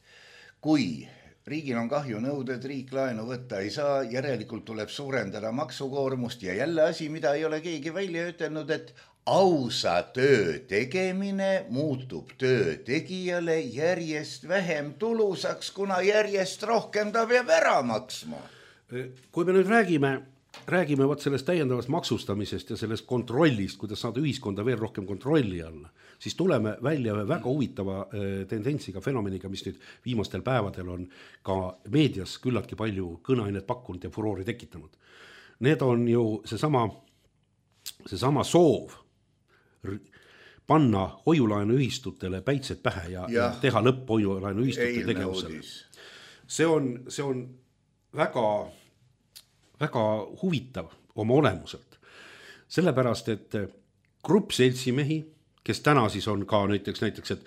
[SPEAKER 3] kui riigil on kahjunõuded, riik laenu võtta ei saa, järelikult tuleb suurendada maksukoormust ja jälle asi, mida ei ole keegi välja ütelnud, et ausa töö tegemine muutub töö tegijale järjest vähem tulusaks, kuna järjest rohkem ta peab ära maksma.
[SPEAKER 4] Kui me nüüd räägime võt sellest täiendavast maksustamisest ja sellest kontrollist, kuidas saada ühiskonda veel rohkem kontrolli alla, siis tuleme välja väga huvitava tendentsiga, fenomeniga, mis nüüd viimastel päevadel on ka meedias küllaltki palju kõneainet pakkunud ja furoori tekitanud. Need on ju seesama soov panna hoiulaenuühistutele päitsed pähe ja teha lõpp hoiulaenuühistute tegevusele. See on väga huvitav oma olemuselt. Sellepärast, et grupp seltsimehi, kes täna siis on ka näiteks, et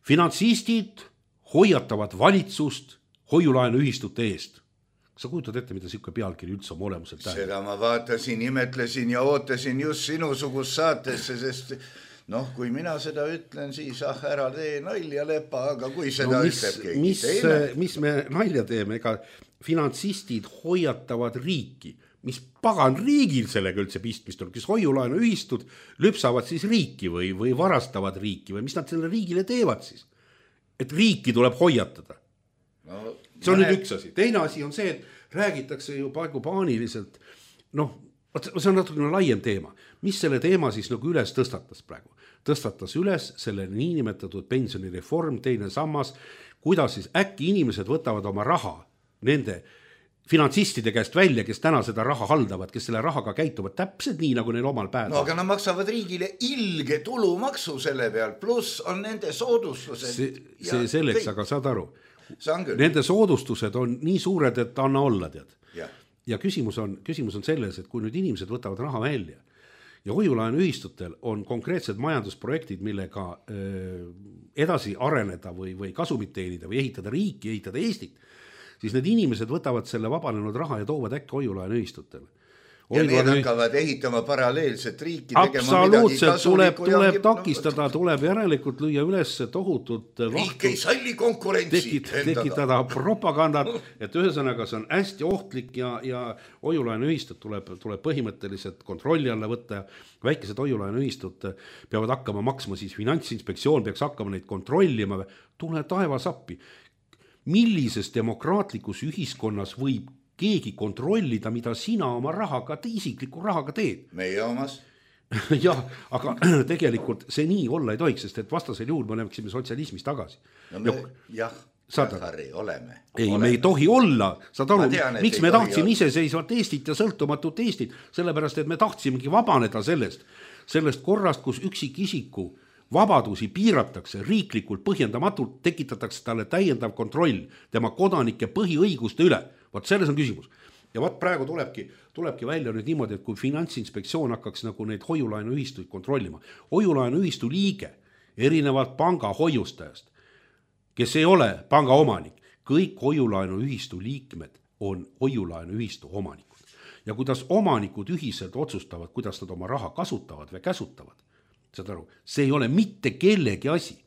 [SPEAKER 4] finantsistid hoiatavad valitsust hoiulaenuühistute eest. Sa kujutad ette, mida siuke pealkiri üldse oma olemuselt tähendab?
[SPEAKER 3] Seda ma vaatasin, imetlesin ja ootasin just sinusugust saatesse, sest kui mina seda ütlen, siis ära tee nalja lepa, aga kui seda ütleb keegi teine.
[SPEAKER 4] Mis me nalja teeme, ega finantsistid hoiatavad riiki, mis pagan riigil sellega üldse pistmist on, kes hoiulaenuühistud lüpsavad siis riiki või varastavad riiki või mis nad selle riigile teevad siis, et riiki tuleb hoiatada. See on nüüd üks asi. Teine asi on see, et räägitakse ju praegu paaniliselt, see on natukene laiem teema. Mis selle teema siis üles tõstatas praegu? Tõstatas üles selle niinimetatud pensionireform, teine sammas, kuidas siis äkki inimesed võtavad oma raha nende finantsistide käest välja, kes täna seda raha haldavad, kes selle rahaga käituvad täpselt nii, nagu neil omal päeval.
[SPEAKER 3] Aga nad maksavad riigile ilge tulumaksu selle peal, pluss on nende soodustused.
[SPEAKER 4] See selleks, aga saad aru. Nende soodustused on nii suured, et anna olla, tead. Ja küsimus on selles, et kui nüüd inimesed võtavad raha välja ja hoiulaenuühistutel on konkreetsed majandusprojektid, millega edasi areneda või kasumit teenida või ehitada riiki, ehitada Eestit, siis need inimesed võtavad selle vabanenud raha ja toovad äkki hoiulaenuühistutele.
[SPEAKER 3] Ja need hakkavad ehitama paralleelset riiki.
[SPEAKER 4] Absoluutselt tuleb takistada, tuleb järelikult lüüa üles tohutut
[SPEAKER 3] riik ei salli konkurentsi.
[SPEAKER 4] Tekitada propagandat, et ühesõnaga see on hästi ohtlik ja hoiulaenuühistud tuleb põhimõtteliselt kontrolli alla võtta. Väikesed hoiulaenuühistud peavad hakkama maksma, siis Finantsinspektsioon peaks hakkama neid kontrollima. Tule taevas appi. Millises demokraatlikus ühiskonnas võib keegi kontrollida, mida sina oma rahaga, isikliku rahaga teed?
[SPEAKER 3] Meie omas.
[SPEAKER 4] Jah, aga tegelikult see nii olla ei tohiks, sest et vastasel juhul me oleksime sotsialismis tagasi.
[SPEAKER 3] Harri, oleme.
[SPEAKER 4] Ei, me ei tohi olla. Saad aru, miks me tahtsime iseseisvat Eestit ja sõltumatut Eestit? Sellepärast, et me tahtsimegi vabaneda sellest korrast, kus üksikisiku vabadusi piiratakse riiklikult põhjendamatult, tekitatakse talle täiendav kontroll tema kodanike põhiõiguste üle. Vot selles on küsimus. Ja praegu tulebki välja nüüd niimoodi, et kui Finantsinspektsioon hakkaks neid hoiulaenuühistuid kontrollima, hoiulaenuühistu liige erinevalt panga hoiustajast, kes ei ole panga omanik, kõik hoiulaenuühistu liikmed on hoiulaenuühistu omanikud. Ja kuidas omanikud ühiselt otsustavad, kuidas nad oma raha kasutavad või käsutavad, saad aru, see ei ole mitte kellegi asi.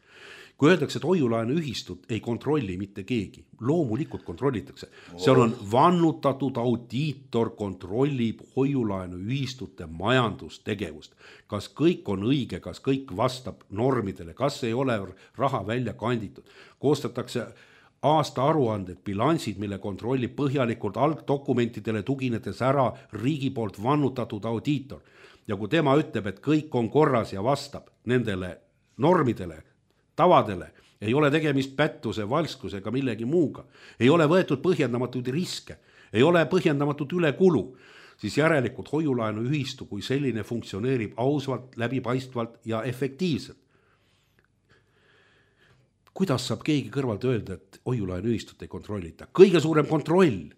[SPEAKER 4] Kui öeldakse, et hoiulaenuühistut ei kontrolli mitte keegi, loomulikult kontrollitakse. Seal on vannutatud audiitor kontrollib hoiulaenuühistute majandustegevust. Kas kõik on õige, kas kõik vastab normidele, kas ei ole raha välja kanditud. Koostatakse aasta aruanded, bilansid, mille kontrollib põhjalikult algdokumentidele tuginedes ära riigi poolt vannutatud audiitor. Ja kui tema ütleb, et kõik on korras ja vastab nendele normidele, tavadele, ei ole tegemist pättuse, valskuse ega millegi muuga, ei ole võetud põhjendamatud riske, ei ole põhjendamatud ülekulu, siis järelikult hoiulaenuühistu kui selline funktsioneerib ausvalt, läbipaistvalt ja efektiivselt. Kuidas saab keegi kõrvalt öelda, et hoiulaenuühistut ei kontrollita? Kõige suurem kontroll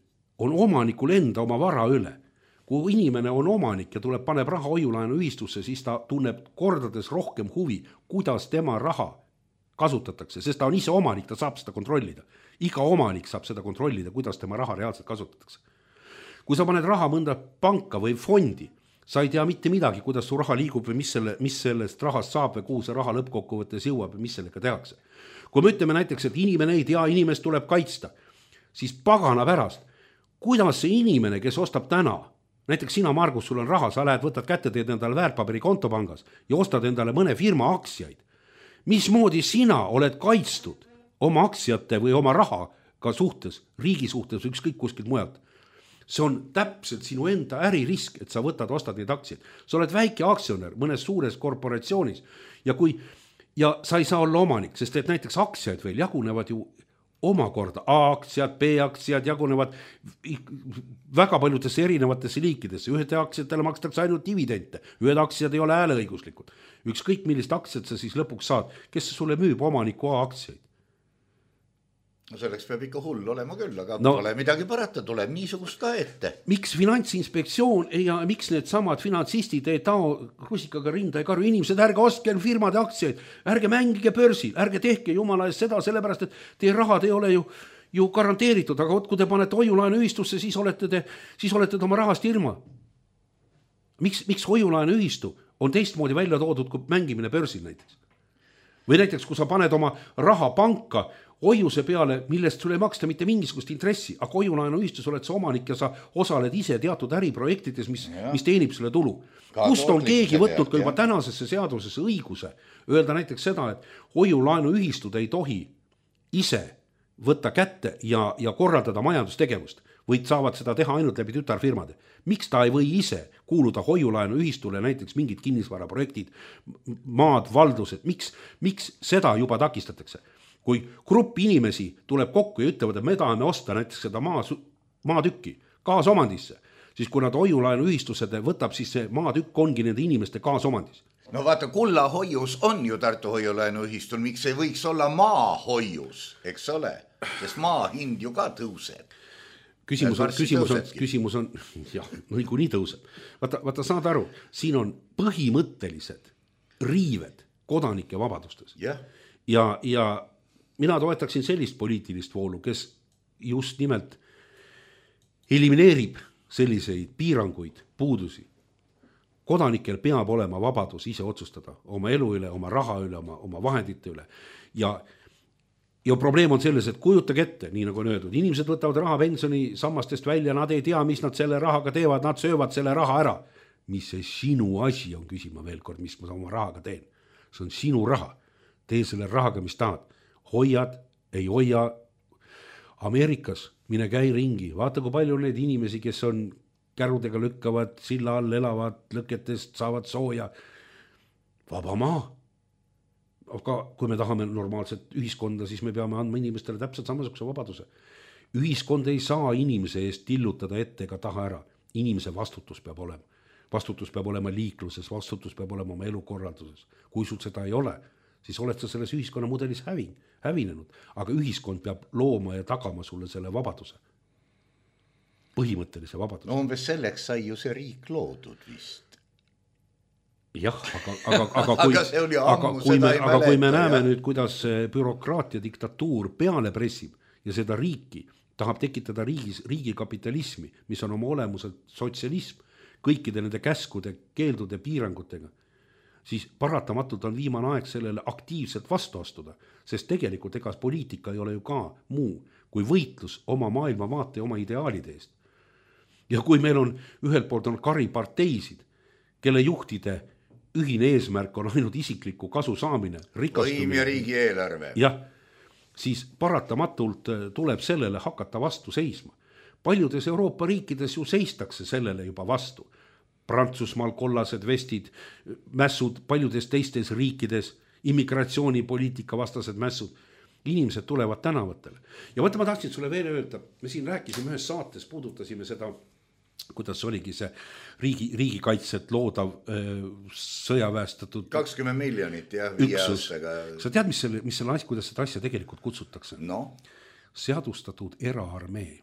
[SPEAKER 4] on omanikul enda oma vara üle. Kui inimene on omanik ja paneb raha hoiulaenu ühistusse, siis ta tunneb kordades rohkem huvi, kuidas tema raha kasutatakse, sest ta on ise omanik, ta saab seda kontrollida. Iga omanik saab seda kontrollida, kuidas tema raha reaalselt kasutatakse. Kui sa paned raha mõnda panka või fondi, sa ei tea mitte midagi, kuidas su raha liigub või mis sellest rahast saab või kuhu see raha lõppkokkuvõttes jõuab või mis sellega tehakse. Kui me ütleme näiteks, et inimene ei tea, inimest tuleb kaitsta, siis pagana pärast, kuidas see inimene, kes ostab täna, näiteks sina, Margus, sul on raha, sa lähed, võtad kätte, teed endale väärtpaberi kontopangas ja ostad endale mõne firma aktsiaid. Mismoodi sina oled kaitstud oma aktsiate või oma rahaga suhtes, riigi suhtes, ükskõik kuskilt mujalt? See on täpselt sinu enda äririsk, et sa ostad neid aktsiaid. Sa oled väike aktsionär mõnes suures korporatsioonis ja sa ei saa olla omanik, sest et näiteks aktsiaid veel jagunevad ju omakorda. A-aktsiad, B-aktsiad jagunevad väga paljudesse erinevatesse liikidesse. Ühed aktsiatele makstakse ainult dividende, ühed aktsiad ei ole hääleõiguslikud. Ükskõik millist aktsiat sa siis lõpuks saad, kes sulle müüb omaniku A-aktsiaid?
[SPEAKER 3] No selleks peab ikka hull olema küll, aga pole midagi parata, tuleb niisugust ka ette.
[SPEAKER 4] Miks Finantsinspektsioon ja miks need samad finantsistid ei tao rusikaga rinda ja karju inimesed, ärge ostke firmade aktsiaid, ärge mängige börsil, ärge tehke jumala eest seda, sellepärast et teie rahad ei ole ju garanteeritud, aga kui te panete hoiulaenu ühistusse, siis olete oma rahast ilma. Miks hoiulaenu ühistu on teistmoodi välja toodud kui mängimine börsil näiteks? Või näiteks, kui sa paned oma raha panka hoiuse peale, millest sulle ei maksta mitte mingisugust intressi, aga hoiulaenu ühistus oled sa omanik ja sa osaled ise teatud äriprojektides, mis teenib selle tulu. Kust on keegi võtnud ka juba tänasesse seadusesse õiguse öelda näiteks seda, et hoiulaenu ühistud ei tohi ise võtta kätte ja korraldada majandustegevust, võid saavad seda teha ainult läbi tütarfirmade. Miks ta ei või ise kuuluda hoiulaenu ühistule näiteks mingid kinnisvaraprojektid, maad, valdused, miks seda juba takistatakse? Kui grupp inimesi tuleb kokku ja ütlevad, et me tahame osta näiteks seda maatükki kaasomandisse, siis kui nad hoiulaenu ühistused võtab, siis see maatükk ongi nende inimeste kaasomandis.
[SPEAKER 3] No vaata, kullahoius on ju Tartu hoiulaenu ühistul, miks ei võiks olla maahoius, eks ole, sest maa hind ju ka tõuseb.
[SPEAKER 4] Küsimus on, jah, nii tõuseb. Vaata, saad aru, siin on põhimõttelised riived kodanike vabadustes. Ja mina toetaksin sellist poliitilist voolu, kes just nimelt elimineerib selliseid piiranguid, puudusi. Kodanikel peab olema vabadus ise otsustada oma elu üle, oma raha üle, oma vahendite üle. Ja probleem on selles, et kujutage ette, nii nagu on öeldud, inimesed võtavad raha pensioni sammastest välja, nad ei tea, mis nad selle rahaga teevad, nad söövad selle raha ära. Mis see sinu asi on, küsima veel kord, mis ma oma rahaga teen. See on sinu raha. Tee selle rahaga, mis tahad. Hoiad, ei hoia. Ameerikas mine käi ringi, vaata kui palju need inimesi, kes on kärudega lükkavad, silla all elavad, lõketest saavad sooja. Vaba maa. Aga kui me tahame normaalset ühiskonda, siis me peame andma inimestele täpselt samasuguse vabaduse. Ühiskond ei saa inimese eest tillutada ette ega taha ära. Inimese vastutus peab olema. Vastutus peab olema liikluses, vastutus peab olema oma elukorralduses. Kui sul seda ei ole, siis oled sa selles ühiskonna mudelis hävinenud, aga ühiskond peab looma ja tagama sulle selle vabaduse. Põhimõttelise vabaduse.
[SPEAKER 3] No umbes selleks sai ju see riik loodud vist.
[SPEAKER 4] Jah, aga kui me näeme nüüd, kuidas bürokraatia diktatuur peale pressib ja seda riiki tahab tekitada riigi kapitalismi, mis on oma olemuselt sotsialism, kõikide nende käskude, keeldude, piirangutega, siis paratamatult on viimane aeg sellele aktiivselt vastu astuda, sest tegelikult ega poliitika ei ole ju ka muu kui võitlus oma maailmavaate ja oma ideaalide eest. Ja kui meil on ühelt poolt on kariparteisid, kelle juhtide ühine eesmärk on ainult isikliku kasu saamine, rikastumine.
[SPEAKER 3] Võim ja riigi eelarve.
[SPEAKER 4] Jah, siis paratamatult tuleb sellele hakata vastu seisma. Paljudes Euroopa riikides ju seistakse sellele juba vastu. Prantsusmaal kollased vestid, mässud, paljudes teistes riikides, immigratsioonipoliitika vastased mässud. Inimesed tulevad tänavatele. Ja võtta ma tahtsin sulle veel öelda, me siin rääkisime ühes saates, puudutasime seda, kuidas oligi see riigikaitset loodav sõjaväestatud
[SPEAKER 3] 20 miljonit ja 5 aastaga.
[SPEAKER 4] Sa tead, mis selle asja, kuidas seda asja tegelikult kutsutakse?
[SPEAKER 3] No.
[SPEAKER 4] Seadustatud eraarmee.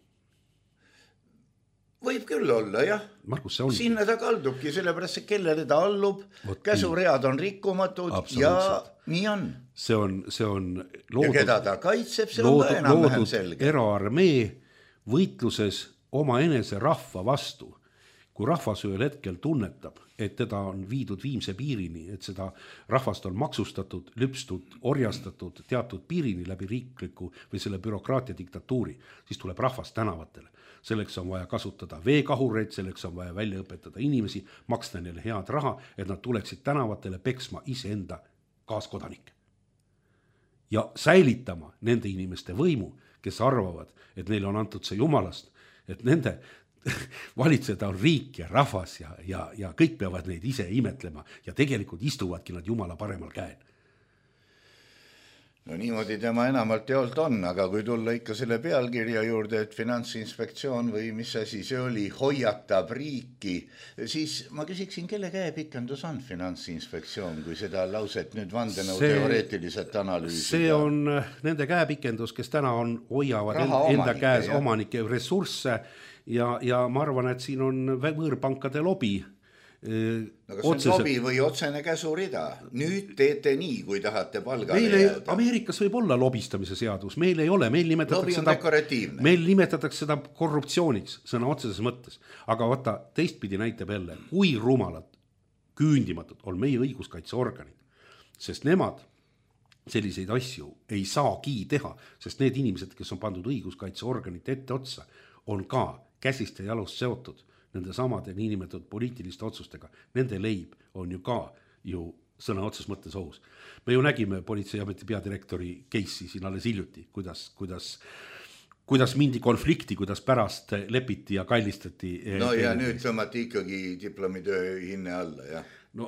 [SPEAKER 3] võib küll olla, jah.
[SPEAKER 4] Margus, see on.
[SPEAKER 3] Sinna ta kaldubki, sellepärast, kellele ta allub, käsuread on rikkumatud ja nii on.
[SPEAKER 4] See on loodud,
[SPEAKER 3] ja keda ta kaitseb, see on ka enam-vähem selge.
[SPEAKER 4] Eraarmee võitluses oma enese rahva vastu. Kui rahvas ühel hetkel tunnetab, et teda on viidud viimse piirini, et seda rahvast on maksustatud, lüpstud, orjastatud teatud piirini läbi riikliku või selle bürokraatia diktatuuri, siis tuleb rahvas tänavatele. Selleks on vaja kasutada veekahureid, selleks on vaja välja õpetada inimesi, maksta neile head raha, et nad tuleksid tänavatele peksma iseenda kaaskodanikke. Ja säilitama nende inimeste võimu, kes arvavad, et neile on antud see jumalast, et nende valitseda on riik ja rahvas ja kõik peavad neid ise imetlema ja tegelikult istuvadki nad jumala paremal käel.
[SPEAKER 3] No niimoodi tema enamalt jaolt on, aga kui tulla ikka selle pealkirja juurde, et Finantsinspektsioon või mis asi see oli, hoiatab riiki, siis ma küsiksin, kelle käepikendus on Finantsinspektsioon, kui seda lauset nüüd vandenõu teoreetiliselt analüüsida?
[SPEAKER 4] See on nende käepikendus, kes täna hoiavad enda käes omanike ressursse ja ma arvan, et siin on võõrpankade lobi.
[SPEAKER 3] No kas see on lobi või otsene käsurida? Nüüd teete nii, kui tahate palgale jääda.
[SPEAKER 4] Ameerikas võib olla lobistamise seadus, meil ei ole, meil nimetatakse seda korruptsiooniks sõna otseses mõttes. Aga vaata, teistpidi näitab jälle, kui rumalad, küündimatud on meie õiguskaitseorganid, sest nemad selliseid asju ei saagi teha, sest need inimesed, kes on pandud õiguskaitseorganite ette otsa, on ka käsist ja jalust seotud nende samade niinimetatud poliitiliste otsustega. Nende leib on ju ka sõna otses mõttes ohus. Me ju nägime politseiameti peadirektori case'i siin alles hiljuti, kuidas mindi konflikti, kuidas pärast lepiti ja kallistati.
[SPEAKER 3] No ja nüüd tõmmati ikkagi diplomitöö hinne alla, jah.
[SPEAKER 4] No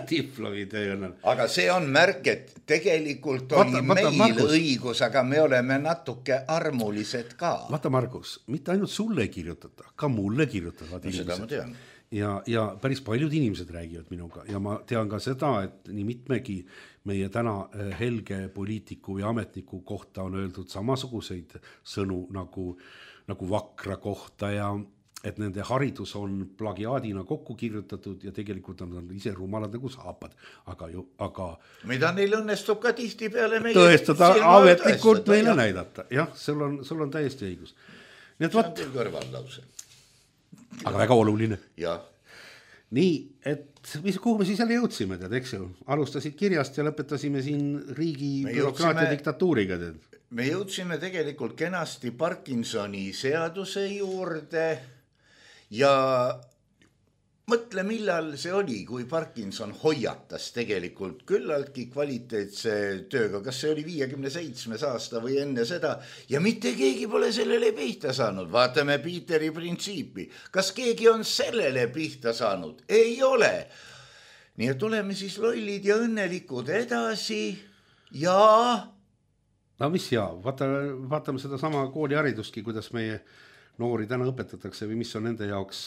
[SPEAKER 4] diplomitöö on.
[SPEAKER 3] Aga see on märk, et tegelikult oli meil Margus, õigus, aga me oleme natuke armulised ka.
[SPEAKER 4] Vaata Margus, mitte ainult sulle kirjutada, ka mulle kirjutavad inimesed.
[SPEAKER 3] Seda ma tean.
[SPEAKER 4] Ja päris paljud inimesed räägivad minuga ja ma tean ka seda, et nii mitmegi meie täna helge poliitiku ja ametniku kohta on öeldud samasuguseid sõnu nagu vakra kohta ja et nende haridus on plagiaadina kokku kirjutatud ja tegelikult on ise rumalad nagu saapad, aga
[SPEAKER 3] mida neil õnnestub ka tihti peale meie
[SPEAKER 4] tõestada, ametlikult meile näidata. Jah, sul on täiesti õigus.
[SPEAKER 3] See on küll kõrvallause.
[SPEAKER 4] Aga väga oluline.
[SPEAKER 3] Ja.
[SPEAKER 4] Nii, et kuhu me siis jälle jõudsime, eks ju? Alustasid kirjast ja lõpetasime siin riigi bürokraatia diktatuuriga.
[SPEAKER 3] Me jõudsime tegelikult kenasti Parkinsoni seaduse juurde ja mõtle, millal see oli, kui Parkinson hoiatas tegelikult küllaltki kvaliteetse tööga, kas see oli 57 aasta või enne seda ja mitte keegi pole sellele pihta saanud. Vaatame Peteri printsiipi. Kas keegi on sellele pihta saanud? Ei ole. Nii et oleme siis lollid ja õnnelikud edasi ja...
[SPEAKER 4] No mis vaatame seda sama kooliharidustki, kuidas meie noori täna õpetatakse või mis on nende jaoks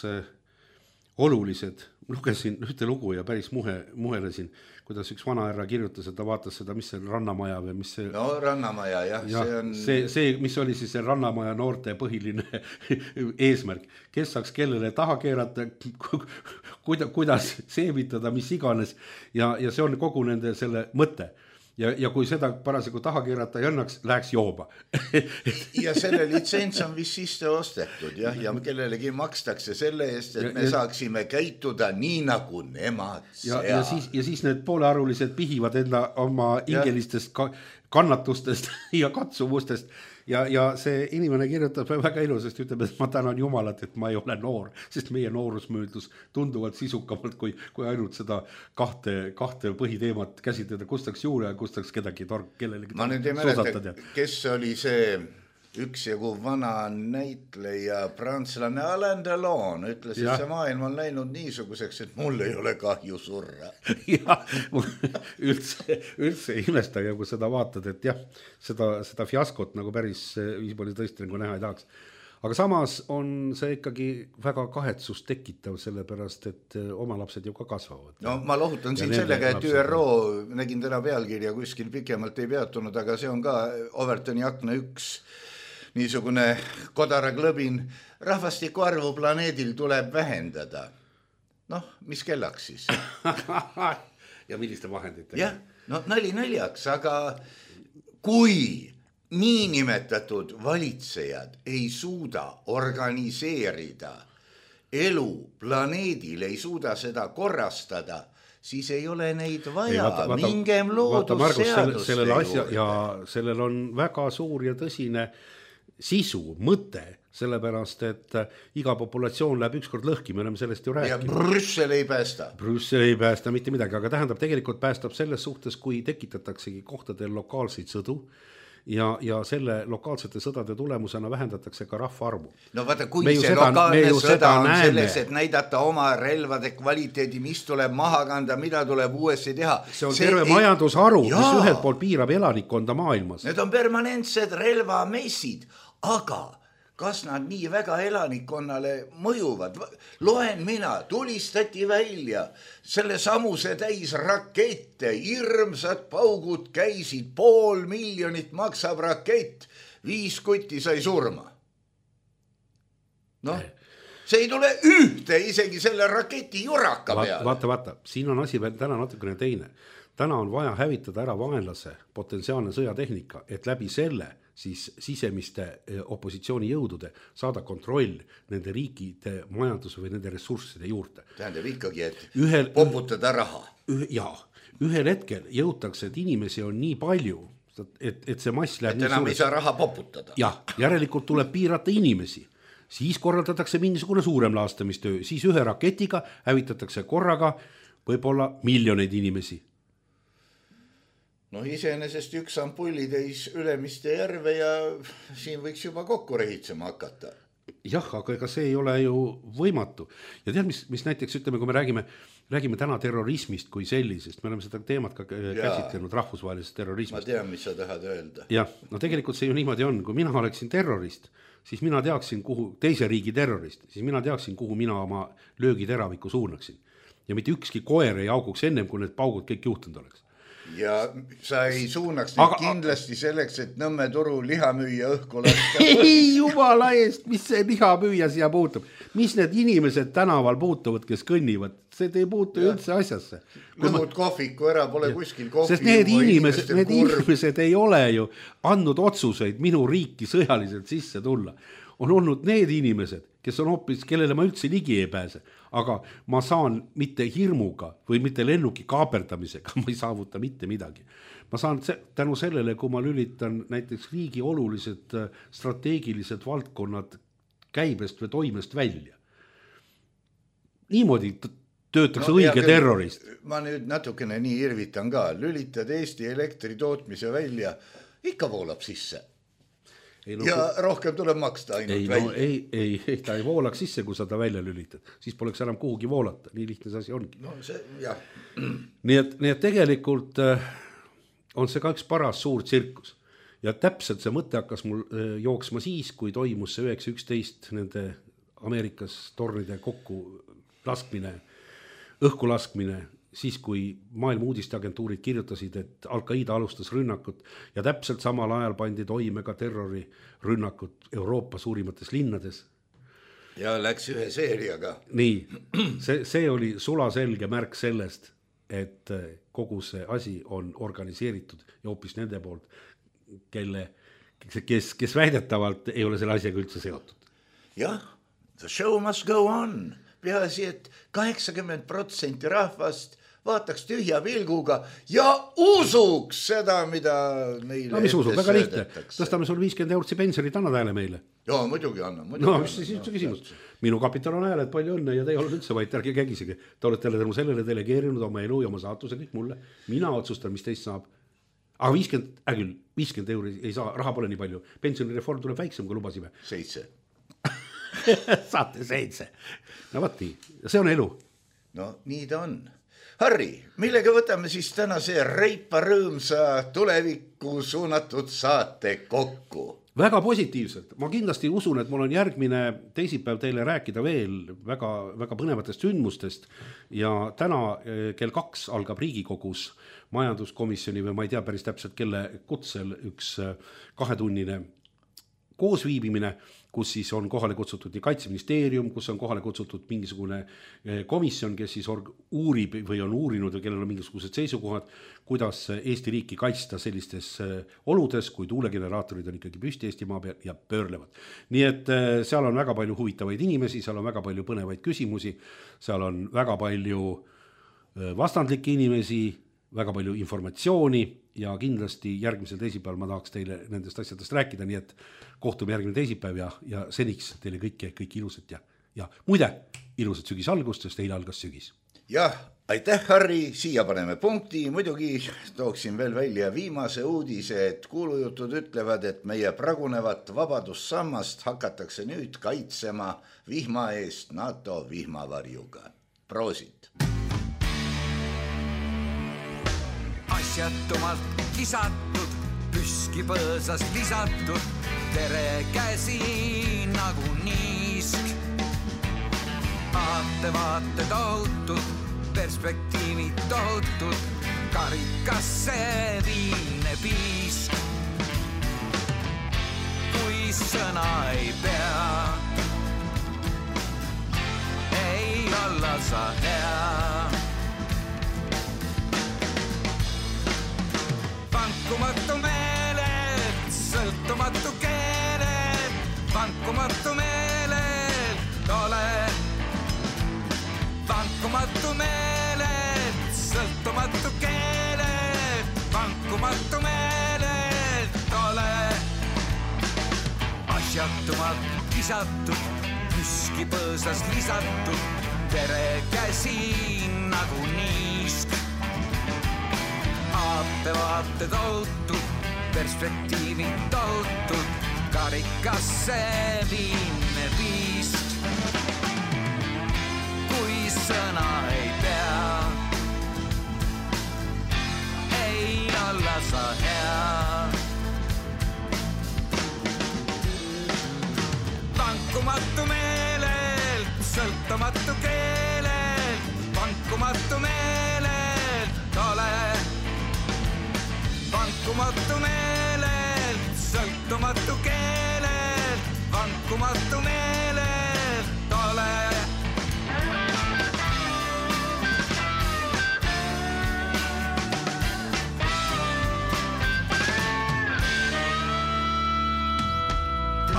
[SPEAKER 4] olulised. Lugesin ühte lugu ja päris muhelesin, kuidas üks vanahärra kirjutas, et ta vaatas seda, mis see Rannamaja või mis see... No
[SPEAKER 3] Rannamaja, jah.
[SPEAKER 4] See, mis oli siis see Rannamaja noorte põhiline eesmärk. Kes saaks kellele taha keerata, kuidas seevitada, mis iganes ja see on kogu nende selle mõte. Ja kui seda parasjagu taha keerata ei õnnaks, läheks jooba.
[SPEAKER 3] Ja selle litsents on vist sisse ostetud ja kellelegi makstakse selle eest, et me saaksime käituda nii nagu nemad seal.
[SPEAKER 4] Ja siis need poolearulised pihivad enda oma ingelistest kannatustest ja katsumustest ja see inimene kirjutab väga ilusasti, ütleb, et ma tänan Jumalat, et ma ei ole noor, sest meie noorus möödus tunduvalt sisukamalt, kui ainult seda kahte põhiteemat käsitleda, kustaks juure ja kustaks kedagi kellelegi.
[SPEAKER 3] Ma nüüd ei mäleta, kes oli see üksjagu vana näitleja prantslane Alain Delon ütles, et see maailm on läinud niisuguseks, et mul ei ole kahju surra.
[SPEAKER 4] Ja, üldse imestage, kui seda vaatad, et jah, seda fiaskot nagu päris viispooli tõesti nagu näha ei tahaks. Aga samas on see ikkagi väga kahetsust tekitav, sellepärast, et oma lapsed ju ka kasvavad.
[SPEAKER 3] No ma lohutan siin sellega, et ÜRO, nägin täna pealkirja, kuskil pikemalt ei peatunud, aga see on ka Overtoni akna 1 niisugune kodaraklõbin, rahvastiku arvu planeedil tuleb vähendada. Noh, mis kellaks siis?
[SPEAKER 4] Ja milliste vahenditega?
[SPEAKER 3] Jah, no nali naljaks, aga kui niinimetatud valitsejad ei suuda organiseerida elu planeedil, ei suuda seda korrastada, siis ei ole neid vaja, mingem loodusseaduste juurde.
[SPEAKER 4] Ja sellel on väga suur ja tõsine sisu, mõte, sellepärast, et iga populatsioon läheb ükskord lõhki, me oleme sellest ju rääkinud.
[SPEAKER 3] Ja Brüssel ei päästa.
[SPEAKER 4] Brüssel ei päästa mitte midagi, aga tähendab, tegelikult päästab selles suhtes, kui tekitataksegi kohtadel lokaalseid sõdu, ja selle lokaalsete sõdade tulemusena vähendatakse ka rahvaarvu.
[SPEAKER 3] No vaata, kui see lokaalne sõda on selles, et näidata oma relvade kvaliteedi, mis tuleb maha kanda, mida tuleb uuesti teha.
[SPEAKER 4] See on terve majandusharu, mis ühelt poolt piirab elanikkonda maailmas.
[SPEAKER 3] Need on permanentsed relvamessid, aga kas nad nii väga elanikkonnale mõjuvad? Loen mina, tulistati välja selle samuse täis rakette, hirmsad paugud käisid, 500 000 maksab rakett, 5 kutti sai surma. Noh, see ei tule ühte isegi selle raketi juraka peale.
[SPEAKER 4] Vaata, siin on asi veel täna natukene teine. Täna on vaja hävitada ära vaenlase potentsiaalne sõjatehnika, et läbi selle siis sisemiste opositsiooni jõudude saada kontroll nende riikide majanduse või nende ressursside juurde.
[SPEAKER 3] Tähendab ikkagi, et poputada raha.
[SPEAKER 4] Ühel hetkel jõutakse, et inimesi on nii palju, et see mass läheb
[SPEAKER 3] et enam ei saa raha poputada.
[SPEAKER 4] Jah, järelikult tuleb piirata inimesi. Siis korraldatakse mingisugune suurem laastamistöö, siis ühe raketiga hävitatakse korraga võib-olla miljoneid inimesi.
[SPEAKER 3] No iseenesest üks ampullitäis Ülemiste järve ja siin võiks juba kokku rehitsema hakata.
[SPEAKER 4] Jah, aga ega see ei ole ju võimatu. Ja tead, mis näiteks ütleme, kui me räägime täna terrorismist kui sellisest, me oleme seda teemat ka käsitlenud rahvusvahelisest terrorismist.
[SPEAKER 3] Ma tean, mis sa tahad öelda.
[SPEAKER 4] Jah, no tegelikult see ju niimoodi on, kui mina oleksin terrorist, siis mina teaksin, kuhu teise riigi terrorist, siis mina teaksin, kuhu mina oma löögiteraviku suunaksin. Ja mitte ükski koer ei auguks ennem, kui need paugud kõik juhtunud oleks.
[SPEAKER 3] Ja sa ei suunaks neid kindlasti selleks, et Nõmme turu lihamüüja õhku lasta.
[SPEAKER 4] Ei jumala eest, mis see lihamüüja siia puutub? Mis need inimesed tänaval puutuvad, kes kõnnivad? See ei puutu üldse asjasse.
[SPEAKER 3] Lõhud kohviku ära, pole kuskil kohvi.
[SPEAKER 4] Sest need inimesed ei ole ju andnud otsuseid minu riiki sõjaliselt sisse tulla. On olnud need inimesed, kes on hoopis, kellele ma üldse ligi ei pääse. Aga ma saan mitte hirmuga või mitte lennuki kaaperdamisega, ma ei saavuta mitte midagi. Ma saan tänu sellele, kui ma lülitan näiteks riigi olulised strateegilised valdkonnad käibest või toimest välja. Niimoodi töötakse õige terrorist.
[SPEAKER 3] Ma nüüd natukene nii irvitan ka. Lülitad Eesti elektri tootmise välja, ikka voolab sisse. Ja rohkem tuleb maksta ainult välja.
[SPEAKER 4] Ei, ta ei voolaks sisse, kui sa ta välja lülitad. Siis poleks enam kuhugi voolata. Nii lihtne see asi ongi.
[SPEAKER 3] No see, jah.
[SPEAKER 4] Nii et tegelikult on see ka üks paras suur tsirkus. Ja täpselt see mõte hakkas mul jooksma siis, kui toimus see 9.11 nende Ameerikas tornide kokku laskmine, õhku laskmine, siis kui maailma uudisteagentuurid kirjutasid, et Al-Qaida alustas rünnakut ja täpselt samal ajal pandi toime ka terrorirünnakut Euroopa suurimates linnades.
[SPEAKER 3] Ja läks ühe seeriaga.
[SPEAKER 4] Nii, see oli sulaselge märk sellest, et kogu see asi on organiseeritud ja hoopis nende poolt, kes väidetavalt ei ole selle asjaga üldse seotud.
[SPEAKER 3] Jah, the show must go on. Peaasi, et 80% rahvast vaataks tühja pilguga ja usuks seda, mida meile
[SPEAKER 4] no, mis usub, väga lihtne. Tõstame sul 50 eurtsi pensionit, anna hääle meile.
[SPEAKER 3] Joo, muidugi anna.
[SPEAKER 4] No, mis siis üldse küsimus? Minu kapital on hääled, palju õnne ja te ei ole üldse vaid, ärge kägisegi. Te olete sellele delegeerinud oma elu ja oma saatuse kõik mulle. Mina otsustan, mis teist saab. Aga 50 euri ei saa, raha pole nii palju. Pensionireform tuleb väiksem, kui lubasime.
[SPEAKER 3] 7.
[SPEAKER 4] Saate 7. No vaati, see on elu.
[SPEAKER 3] No nii ta on. Harri, millega võtame siis tänase reipa rõõmsa tulevikku suunatud saate kokku?
[SPEAKER 4] Väga positiivselt. Ma kindlasti usun, et mul on järgmine teisipäev teile rääkida veel väga, väga põnevatest sündmustest ja täna kell 2 algab Riigikogus majanduskomisjoni või ma ei tea päris täpselt kelle kutsel üks 2-tunnine koosviibimine, kus siis on kohale kutsutud nii Kaitseministeerium, kus on kohale kutsutud mingisugune komisjon, kes siis uurib või on uurinud või kellel on mingisugused seisukohad, kuidas Eesti riiki kaitsta sellistes oludes, kui tuulegeneraatorid on ikkagi püsti Eestimaa peal ja pöörlevad. Nii et seal on väga palju huvitavaid inimesi, seal on väga palju põnevaid küsimusi, seal on väga palju vastandlikke inimesi, väga palju informatsiooni ja kindlasti järgmisel teisipäeval ma tahaks teile nendest asjadest rääkida, nii et kohtume järgmine teisipäev ja seniks teile kõik ilusat ja muide, ilusat sügisalgust, sest eile algas sügis.
[SPEAKER 3] Jah, aitäh Harri, siia paneme punkti, muidugi tooksin veel välja viimase uudise, et kuulujutud ütlevad, et meie pragunevat vabadussammast hakatakse nüüd kaitsema vihma eest NATO vihmavarjuga. Proosit!
[SPEAKER 5] Asjatumalt kisatud, püski põõsas lisatud, tere käsi nagu niisk. Vaate tohutud, perspektiivid tohutud, karikasse viine piisk. Kui sõna ei pea, ei olla sa hea. Vankumatu meeled, sõltumatu keeled, vankumatu meeled, ole. Vankumatu meeled, sõltumatu keeled, vankumatu meeled, ole. Asjatumalt kisatud, püski põõsas lisatud, tere käsi nagu niisk. Vaate tohutud, perspektiivid tohutud, karikasse viine piisk. Kui sõna ei pea, ei olla sa hea. Vankumatu meeled, sõltumatu keeled, vankumatu meeled, ole. Vankumatu meeled, sõltumatu keeled, vankumatu meeled, ole.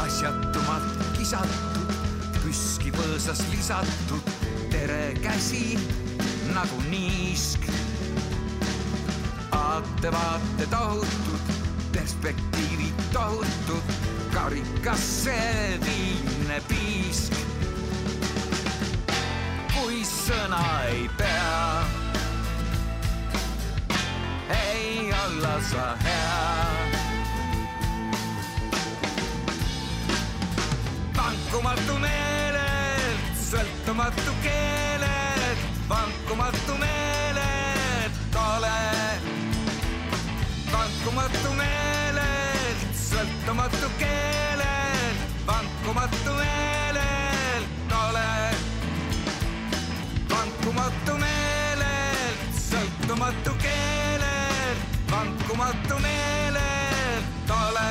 [SPEAKER 5] Asjatumalt kisatud, püski põõsas lisatud, tere käsi nagu niisk. Vaate tohutud, perspektiivid tohutud, karikasse viine piisk. Kui sõna ei pea, ei olla sa hea. Vankumatu meeled, sõltumatu keeled, vankumatu meeled, ole. Vankumatu meeled, sõltumatu keeled, vankumatu meeled, ole. Vankumatu meeled, sõltumatu keeled, vankumatu meeled, ole.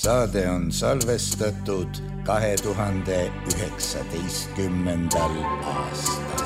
[SPEAKER 3] Saade on salvestatud 2019. aastal.